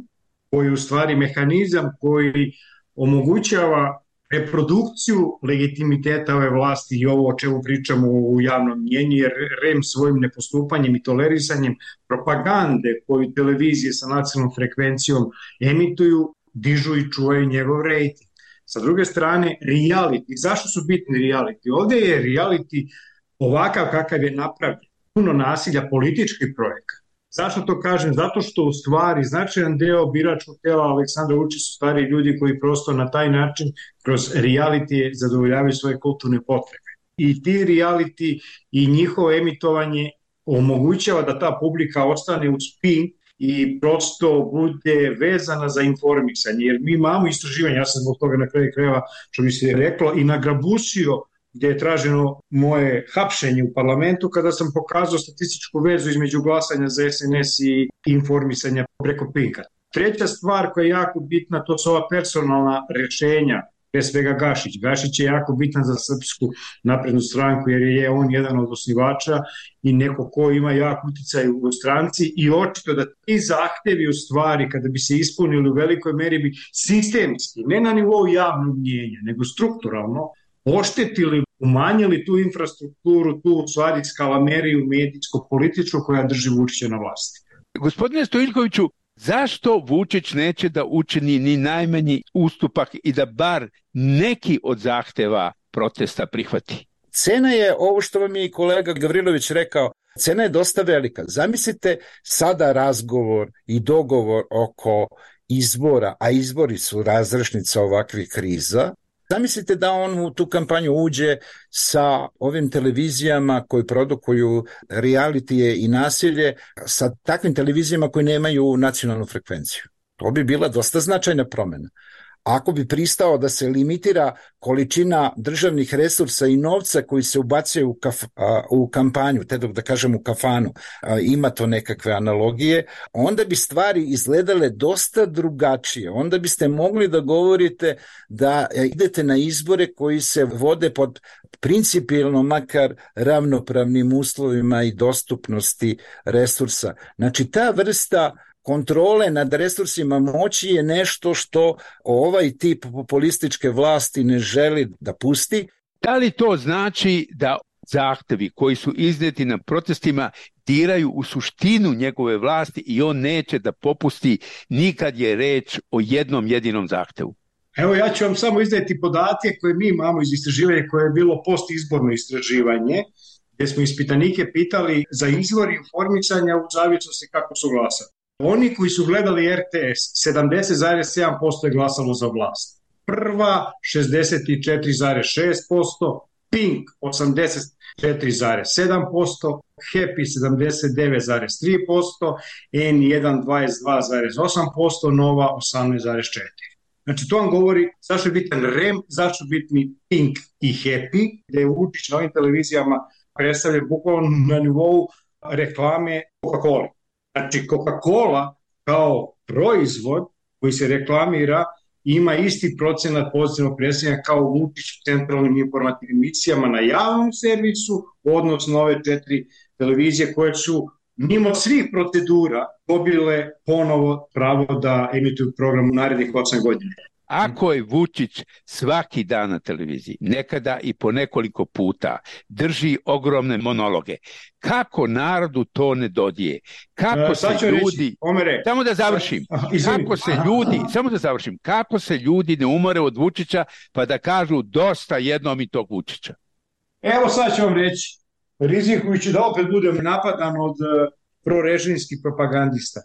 koji je u stvari mehanizam koji omogućava reprodukciju legitimiteta ove vlasti i ovo o čemu pričamo u javnom mnjenju, jer R E M svojim nepostupanjem i tolerisanjem propagande koju televizije sa nacionalnom frekvencijom emituju, dižu i čuvaju njegov rejting. Sa druge strane, reality. Zašto su bitni reality? Ovdje je reality ovakav kakav je napravljen. Puno nasilja, politički projekat. Zašto to kažem? Zato što u stvari značajan deo biračkog tela Aleksandra Vučića su stari ljudi koji prosto na taj način kroz reality zadovoljavaju svoje kulturne potrebe. I ti reality i njihovo emitovanje omogućava da ta publika ostane u spin i prosto bude vezana za informisanje, jer mi imamo istraživanje, ja sam zbog toga na kraju krajeva, što bi se reklo, i nagrabusio gdje je traženo moje hapšenje u parlamentu kada sam pokazao statističku vezu između glasanja za S N S i informisanja preko Pinka. Treća stvar koja je jako bitna, to su ova personalna rješenja, pre svega Gašić. Gašić je jako bitan za Srpsku naprednu stranku jer je on jedan od osnivača i neko ko ima jak uticaj u stranci i očito da ti zahtevi u stvari kada bi se ispunili u velikoj meri bi sistemski, ne na nivou javnog mnjenja, nego strukturalno oštetili, umanjili tu infrastrukturu, tu u stvari skalameriju medijsko-političku koja drži Vučića na vlasti. Gospodine Stojiljkoviću, zašto Vučić neće da učini ni najmanji ustupak i da bar neki od zahteva protesta prihvati? Cena je, ovo što vam je i kolega Gavrilović rekao, cena je dosta velika. Zamislite sada razgovor i dogovor oko izbora, a izbori su razrešnica ovakvih kriza. Zamislite da on u tu kampanju uđe sa ovim televizijama koji produkuju realitije i nasilje, sa takvim televizijama koji nemaju nacionalnu frekvenciju. To bi bila dosta značajna promjena. Ako bi pristao da se limitira količina državnih resursa i novca koji se ubacuje u, kaf, a, u kampanju, te dok da kažem u kafanu, a, ima to nekakve analogije, onda bi stvari izgledale dosta drugačije. Onda biste mogli da govorite da idete na izbore koji se vode pod principijelno makar ravnopravnim uslovima i dostupnosti resursa. Znači ta vrsta kontrole nad resursima moći je nešto što ovaj tip populističke vlasti ne želi da pusti. Da li to znači da zahtevi koji su izneti na protestima diraju u suštinu njegove vlasti i on neće da popusti nikad je reč o jednom jedinom zahtevu? Evo ja ću vam samo izneti podatke koje mi imamo iz istraživanja koje je bilo postizborno istraživanje, gdje smo ispitanike pitali za izvor informisanja u zavisnosti kako su glasali. Oni koji su gledali R T S, sedamdeset zarez sedam posto je glasalo za vlast. Prva, šezdeset četiri zarez šest posto, Pink, osamdeset četiri zarez sedam posto, Happy, sedamdeset devet zarez tri posto, N jedan, dvadeset dva zarez osam posto, Nova, osamnaest zarez četiri posto. Znači, to vam govori zašto je bitan R E M, zašto je bitni Pink i Happy, gde je Vučić na ovim televizijama predstavljen bukvalno na nivou reklame Coca-Cola. Znači, Coca-Cola kao proizvod koji se reklamira ima isti procenat pozitivnog predstavljanja kao Vučić u centralnim informativnim emisijama na javnom servisu, odnosno ove četiri televizije koje su mimo svih procedura dobile ponovo pravo da emituju program u narednih osam godina. Ako je Vučić svaki dan na televiziji, nekada i po nekoliko puta, drži ogromne monologe, kako narodu to ne dodije? Kako se ljudi... Omere, samo da završim. Kako se ljudi... Samo da završim. Kako se ljudi ne umore od Vučića pa da kažu dosta jednom i tog Vučića? Evo sad ću vam reći. Rizikujući da opet budem napadan od prorežimskih propagandista.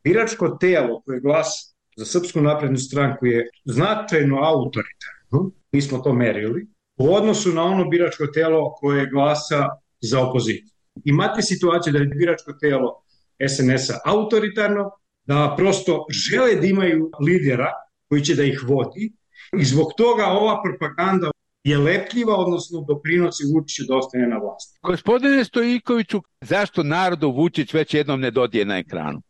Biračko telo koje glasa za Srpsku naprednu stranku je značajno autoritarno, mi smo to merili, u odnosu na ono biračko telo koje glasa za opoziciju. Imate situaciju da je biračko telo es en es a autoritarno, da prosto žele da imaju lidera koji će da ih vodi i zbog toga ova propaganda je lepljiva, odnosno doprinosi Vučiću da ostane na vlasti. Gospodine Stojiljkoviću, zašto narodu Vučić već jednom ne dodije na ekranu?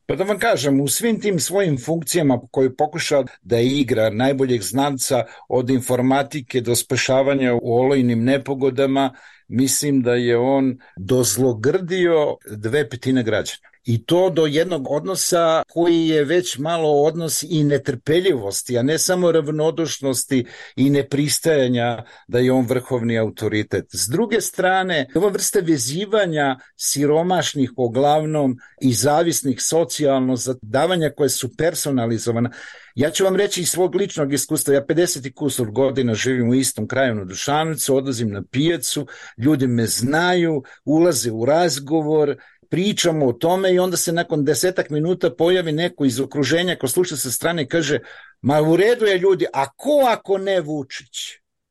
Pa da vam kažem, u svim tim svojim funkcijama koje pokuša da igra najboljeg znanca od informatike do spašavanja u olujnim nepogodama, mislim da je on dozlogrdio dve petine građana. I to do jednog odnosa koji je već malo odnos i netrpeljivosti, a ne samo ravnodušnosti i nepristajanja da je on vrhovni autoritet. S druge strane, ova vrsta vezivanja siromašnih uglavnom i zavisnih socijalno za davanja koje su personalizovana. Ja ću vam reći iz svog ličnog iskustva, ja pedeset i kusur godina živim u istom kraju na Dušanovcu, odlazim na pijacu, ljudi me znaju, ulaze u razgovor, pričamo o tome i onda se nakon desetak minuta pojavi neko iz okruženja ko sluša sa strane i kaže, ma u redu je ljudi, a ko ako ne Vučić?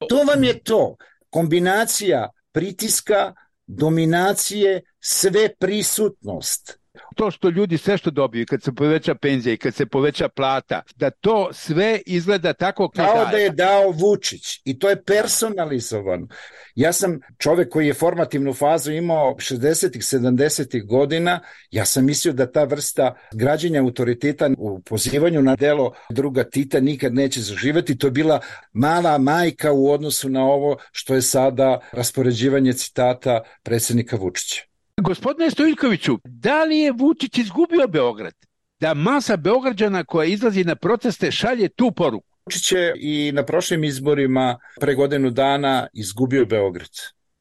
To vam je to, kombinacija pritiska, dominacije, sve prisutnost. To što ljudi sve što dobiju, kad se poveća penzija i kad se poveća plata, da to sve izgleda tako kao, kao da je dao Vučić i to je personalizovano. Ja sam čovjek koji je formativnu fazu imao šezdesetih, sedamdesetih godina, ja sam mislio da ta vrsta građenja autoriteta u pozivanju na delo druga Tita nikad neće zaživjeti. To je bila mala majka u odnosu na ovo što je sada raspoređivanje citata predsjednika Vučića. Gospodine Stojiljkoviću, da li je Vučić izgubio Beograd? Da masa Beograđana koja izlazi na proteste šalje tu poruku? Vučić je i na prošlim izborima pre godinu dana izgubio Beograd.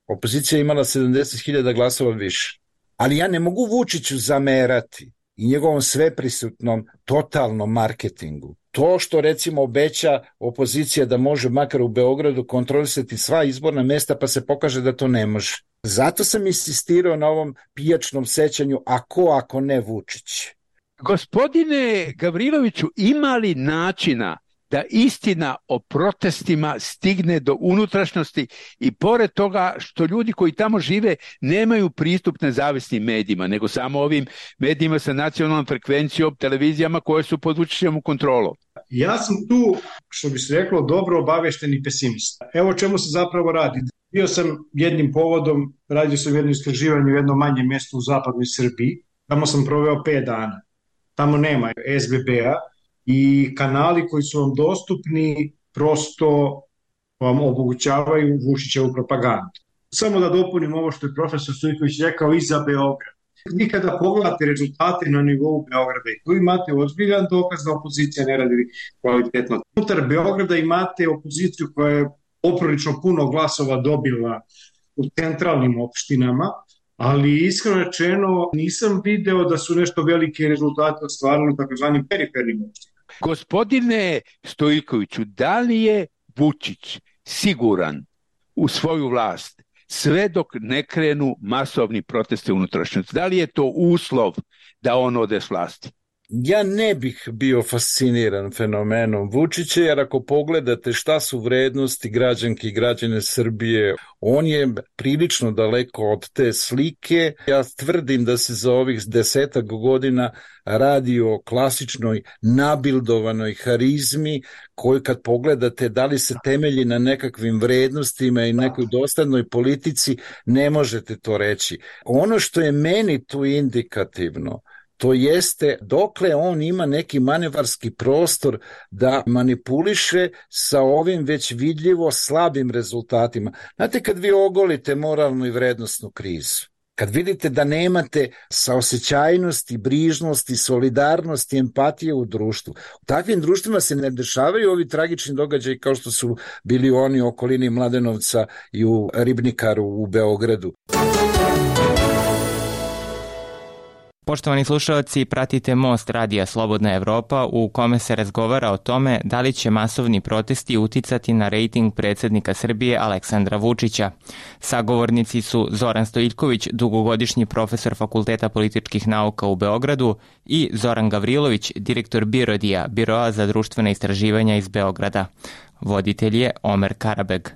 Opozicija je imala sedamdeset hiljada glasova više. Ali ja ne mogu Vučiću zamerati i njegovom sveprisutnom totalnom marketingu. To što recimo obeća opozicija da može makar u Beogradu kontrolisati sva izborna mesta pa se pokaže da to ne može. Zato sam insistirao na ovom pijačnom sećanju, a ko ako ne Vučić? Gospodine Gavriloviću, ima li načina da istina o protestima stigne do unutrašnjosti i pored toga što ljudi koji tamo žive nemaju pristup nezavisnim medijima, nego samo ovim medijima sa nacionalnom frekvencijom, televizijama koje su pod Vučićevom kontrolom? Ja sam tu, što bi se reklo, dobro obavešteni pesimista. Evo o čemu se zapravo radi. Bio sam jednim povodom, radio sam jedno istraživanje u jednom manjem mjestu u zapadnoj Srbiji. Tamo sam proveo pet dana. Tamo nema es be be-a i kanali koji su vam dostupni prosto vam omogućavaju Vučićevu propagandu. Samo da dopunim ovo što je profesor Stojiljković rekao i za Beograd. Vi kada pogledate rezultate na nivou Beograda i tu imate ozbiljan dokaz da opozicija ne radi kvalitetno. Unutar Beograda imate opoziciju koja je poprilično puno glasova dobila u centralnim opštinama, ali iskreno rečeno nisam video da su nešto velike rezultate ostvarili u takozvanim perifernim opštinama. Gospodine Stojiljkoviću, da li je Vučić siguran u svoju vlast sve dok ne krenu masovni protesti unutrašnjosti? Da li je to uslov da on ode s vlasti? Ja ne bih bio fasciniran fenomenom Vučića, jer ako pogledate šta su vrednosti građanki i građane Srbije, on je prilično daleko od te slike. Ja tvrdim da se za ovih desetak godina radi o klasičnoj nabildovanoj harizmi koju kad pogledate da li se temelji na nekakvim vrednostima i nekoj dostatnoj politici, ne možete to reći. Ono što je meni tu indikativno, To jeste dokle on ima neki manevarski prostor da manipuliše sa ovim već vidljivo slabim rezultatima. Znate, kad vi ogolite moralnu i vrednosnu krizu, kad vidite da nemate saosećajnosti, brižnosti, solidarnosti, empatije u društvu, u takvim društvima se ne dešavaju ovi tragični događaji kao što su bili oni u okolini Mladenovca i u Ribnikaru u Beogradu. Poštovani slušalci, pratite Most radija Slobodna Evropa u kome se razgovara o tome da li će masovni protesti uticati na rejting predsjednika Srbije Aleksandra Vučića. Sagovornici su Zoran Stojiljković, dugogodišnji profesor Fakulteta političkih nauka u Beogradu, i Zoran Gavrilović, direktor Birodija, Biroa za društvene istraživanja iz Beograda. Voditelj je Omer Karabeg.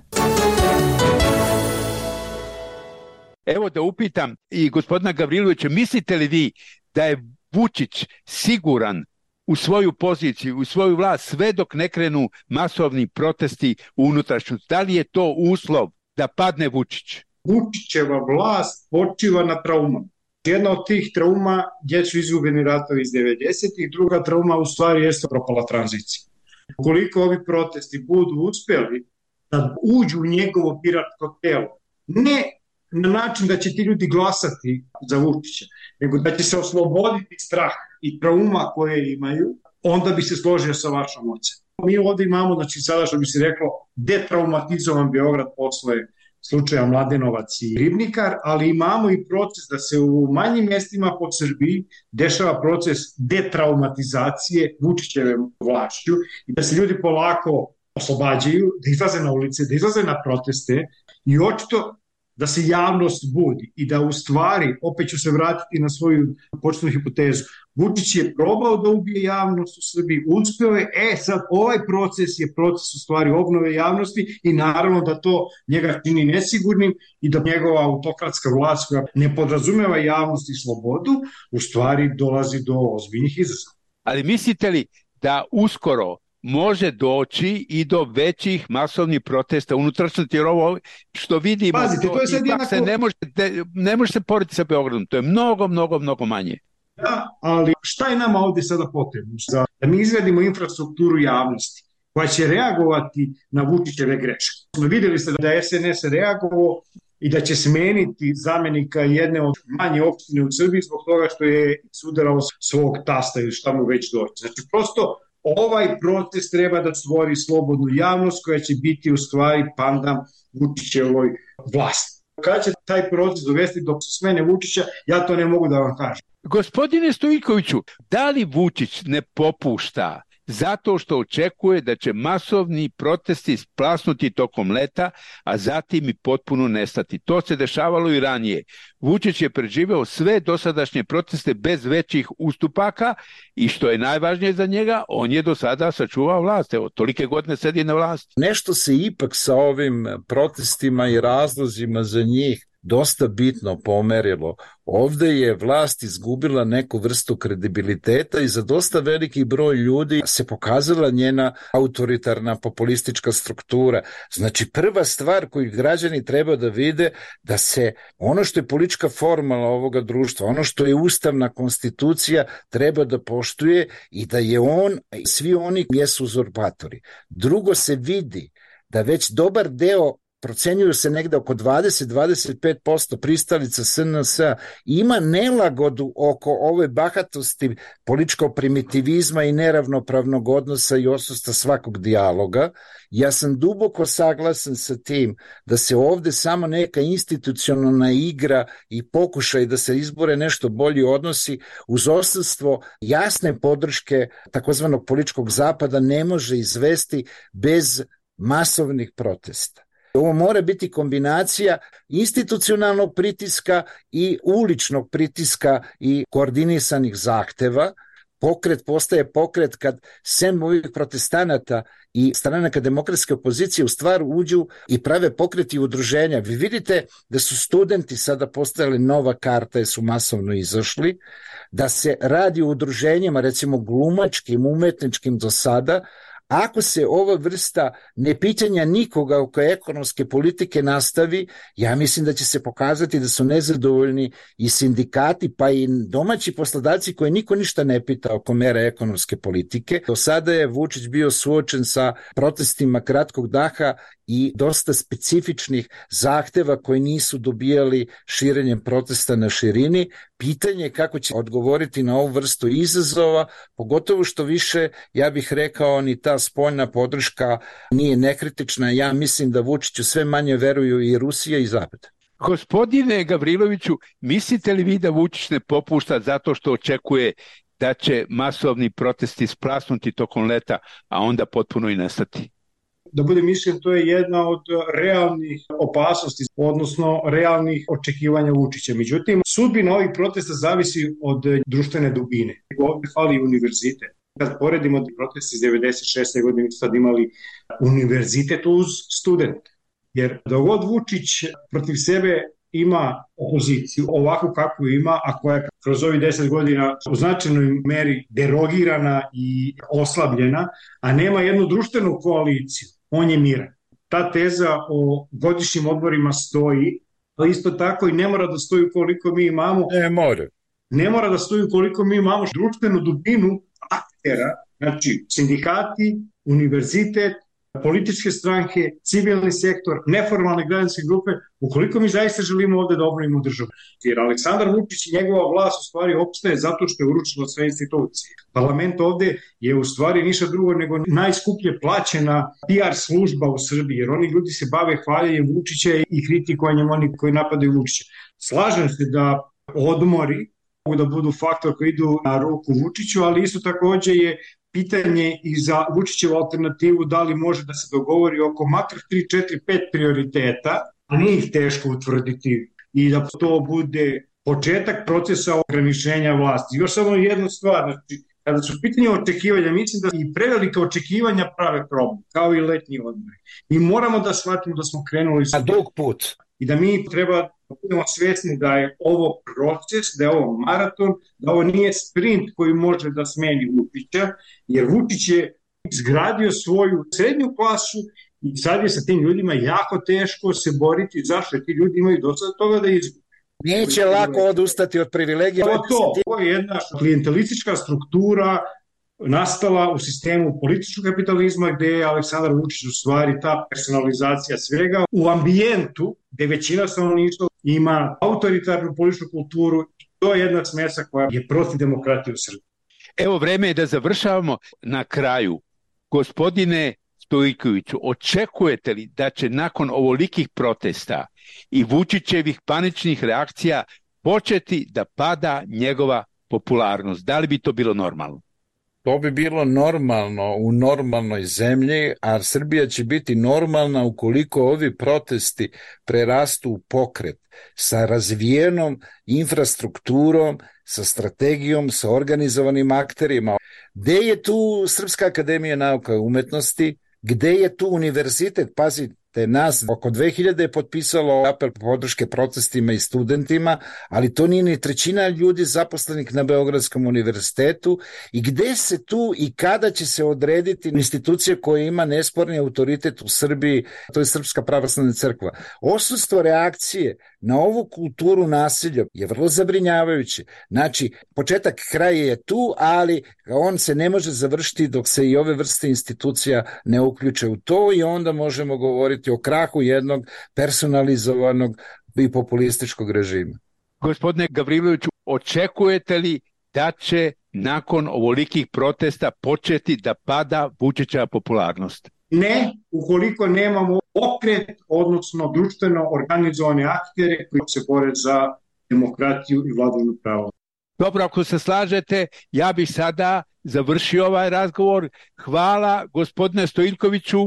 Evo da upitam i gospodina Gavrilovića, mislite li vi da je Vučić siguran u svoju poziciju, u svoju vlast sve dok ne krenu masovni protesti u unutrašnjosti? Da li je to uslov da padne Vučić? Vučićeva vlast počiva na traumama. Jedna od tih trauma gdje su izgubljeni ratovi iz devedesetih, druga trauma u stvari jeste propala tranzicija. Ukoliko ovi protesti budu uspjeli da uđu u njegovo biračko telo, ne na način da će ti ljudi glasati za Vučića, nego da će se osloboditi strah i trauma koje imaju, onda bi se složio sa vašom ocem. Mi ovdje imamo, znači sada što bi se reklo, detraumatizovan Beograd posle slučaja Mladenovac i Ribnikar, ali imamo i proces da se u manjim mjestima po Srbiji dešava proces detraumatizacije Vučićeve vlašću i da se ljudi polako oslobađaju, da izlaze na ulice, da izlaze na proteste i očito da se javnost budi i da u stvari, opet ću se vratiti na svoju početnu hipotezu, Vučić je probao da ubije javnost u Srbiji, uspeo je, e sad ovaj proces je proces u stvari obnove javnosti i naravno da to njega čini nesigurnim i da njegova autokratska vlast koja ne podrazumeva javnost i slobodu, u stvari dolazi do ozbiljnih izazova. Ali mislite li da uskoro može doći i do većih masovnih protesta unutrašnjosti, jer ovo što vidimo, Pazite, to je sad ipak jednako... se ne može, ne može se porediti sa Beogradom, to je mnogo, mnogo, mnogo manje. Da, ali šta je nama ovdje sada potrebno? Da mi izgradimo infrastrukturu javnosti koja će reagovati na Vučićeve greške. Vidjeli ste da je es en es reagovao i da će smeniti zamjenika jedne od manje opštine u Srbiji zbog toga što je sudarao svog tasta ili šta mu već doći. Znači, prosto ovaj proces treba da stvori slobodnu javnost koja će biti u stvari pandam Vučićevoj vlasti. Kada će taj proces dovesti do smene Vučića, ja to ne mogu da vam kažem. Gospodine Stojiljkoviću, da li Vučić ne popušta zato što očekuje da će masovni protesti splasnuti tokom leta, a zatim i potpuno nestati? To se dešavalo i ranije. Vučić je preživeo sve dosadašnje proteste bez većih ustupaka i što je najvažnije za njega, on je do sada sačuvao vlast. Evo, tolike godine sedi na vlasti. Nešto se ipak sa ovim protestima i razlozima za njih dosta bitno pomerilo. Ovdje je vlast izgubila neku vrstu kredibiliteta i za dosta veliki broj ljudi se pokazala njena autoritarna populistička struktura. Znači, prva stvar koju građani treba da vide, da se ono što je politička formula ovoga društva, ono što je ustavna konstitucija, treba da poštuje i da je on, svi oni jesu uzurpatori. Drugo, se vidi da već dobar deo, procenjuju se negde oko dvadeset do dvadeset pet posto pristalica es en es ima nelagodu oko ove bahatosti političkog primitivizma i neravnopravnog odnosa i odsustva svakog dijaloga. Ja sam duboko saglasan sa tim da se ovde samo neka institucionalna igra i pokušaj da se izbore nešto bolji odnosi uz odsustvo jasne podrške takozvanog političkog zapada ne može izvesti bez masovnih protesta. Ovo mora biti kombinacija institucionalnog pritiska i uličnog pritiska i koordinisanih zahteva. Pokret postaje pokret kad sem ovih protestanata i stranaka demokratske opozicije u stvar uđu i prave pokreti i udruženja. Vi vidite da su studenti sada postajali nova karta jer su masovno izašli, da se radi o udruženjima, recimo glumačkim, umetničkim do sada, Ako se ova vrsta nepitanja nikoga oko ekonomske politike nastavi, ja mislim da će se pokazati da su nezadovoljni i sindikati, pa i domaći poslodavci koje niko ništa ne pita oko mera ekonomske politike. Do sada je Vučić bio suočen sa protestima kratkog daha i dosta specifičnih zahteva koji nisu dobijali širenjem protesta na širini. Pitanje je kako će odgovoriti na ovu vrstu izazova, pogotovo što više, ja bih rekao, ni ta spoljna podrška nije nekritična. Ja mislim da Vučiću sve manje veruju i Rusija i Zapad. Gospodine Gavriloviću, mislite li vi da Vučić ne popušta zato što očekuje da će masovni protesti splasnuti tokom leta, a onda potpuno i nestati? Da budem iskren, to je jedna od realnih opasnosti, odnosno realnih očekivanja Vučića. Međutim, sudbina ovih protesta zavisi od društvene dubine. Ovdje fali univerzitet. Kad poredimo proteste iz devedeset šeste godine, sad imali univerzitet uz studente. Jer dok god Vučić protiv sebe ima opoziciju, ovako kako ima, a koja je kroz ovih deset godina u značajnoj meri derogirana i oslabljena, a nema jednu društvenu koaliciju, on je miran. Ta teza o godišnjim odborima stoji, ali isto tako i ne mora da stoji koliko mi imamo. Ne mora. Ne mora da stoji koliko mi imamo društvenu dubinu aktera, znači sindikati, univerzitet, političke stranke, civilni sektor, neformalne građanske grupe, ukoliko mi zaista želimo ovde da obnovimo državu. Jer Aleksandar Vučić i njegova vlast u stvari opstaje zato što je uručila sve institucije. Parlament ovde je u stvari ništa drugo nego najskuplje plaćena P R služba u Srbiji, jer oni ljudi se bave hvaljenjem Vučića i kritikovanjem oni koji napadaju Vučića. Slažem se da odmori mogu da budu faktor koji idu na ruku Vučiću, ali isto takođe je pitanje i za Vučićevu alternativu da li može da se dogovori oko makar tri, četiri, pet prioriteta, a nije ih teško utvrditi i da to bude početak procesa ograničenja vlasti. Još samo jednu stvar, znači, kada su pitanje očekivanja, mislim da i prevelika očekivanja prave problem, kao i letnji odmori. I moramo da shvatimo da smo krenuli na dug put i da mi treba da budemo svjesni da je ovo proces, da je ovo maraton, da ovo nije sprint koji može da smeni Vučića, jer Vučić je izgradio svoju srednju klasu i sad je sa tim ljudima jako teško se boriti. Zašto? Ti ljudi imaju dosta toga da izgubi. Neće lako odustati od privilegija. To, to, to je jedna klijentelistička struktura nastala u sistemu političkog kapitalizma gde je Aleksandar Vučić u stvari ta personalizacija svega u ambijentu gde većina stanovništva ima autoritarnu političku kulturu. To je jedna smesa koja je protiv demokratije u Srbiji. Evo, vreme je da završavamo. Na kraju, gospodine Stojkoviću, očekujete li da će nakon ovolikih protesta i Vučićevih paničnih reakcija početi da pada njegova popularnost? Da li bi to bilo normalno? To bi bilo normalno u normalnoj zemlji, a Srbija će biti normalna ukoliko ovi protesti prerastu u pokret sa razvijenom infrastrukturom, sa strategijom, sa organizovanim akterima. Gde je tu Srpska akademija nauka i umetnosti? Gde je tu univerzitet? Pazite, nas oko dve hiljade je potpisalo apel podrške protestima i studentima, ali to nije ni trećina ljudi zaposlenih na Beogradskom univerzitetu. I gde se tu i kada će se odrediti institucija koja ima nesporni autoritet u Srbiji, to je Srpska pravoslavna crkva. Odsustvo reakcije na ovu kulturu nasilja je vrlo zabrinjavajuće. Znači, početak kraja je tu, ali on se ne može završiti dok se i ove vrste institucija ne uključe u to i onda možemo govoriti o krahu jednog personalizovanog i populističkog režima. Gospodine Gavriloviću, očekujete li da će nakon ovolikih protesta početi da pada Vučićeva popularnost? Ne, ukoliko nemamo pokret, odnosno društveno organizovane aktere koji se bore za demokratiju i vladavinu prava. Dobro, ako se slažete, ja bih sada završio ovaj razgovor. Hvala gospodine Stojkoviću.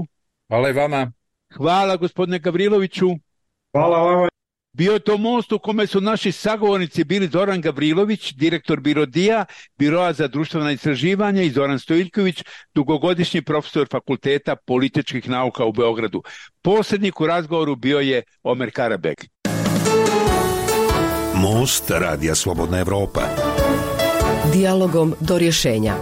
Hvala i vama. Hvala gospodine Gavriloviću. Hvala vama. Bio je to most u kome su naši sagovornici bili Zoran Gavrilović, direktor Birodija, Biroa za društvena istraživanja, i Zoran Stojković, dugogodišnji profesor Fakulteta političkih nauka u Beogradu. Posrednik u razgovoru bio je Omer Karabeg. Most Radija Slobodna Evropa. Dijalogom do rješenja.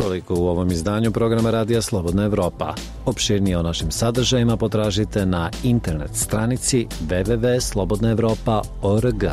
Toliko u ovom izdanju programa Radija Slobodna Evropa. Opširnije o našim sadržajima potražite na internet stranici w w w tačka slobodna evropa tačka org.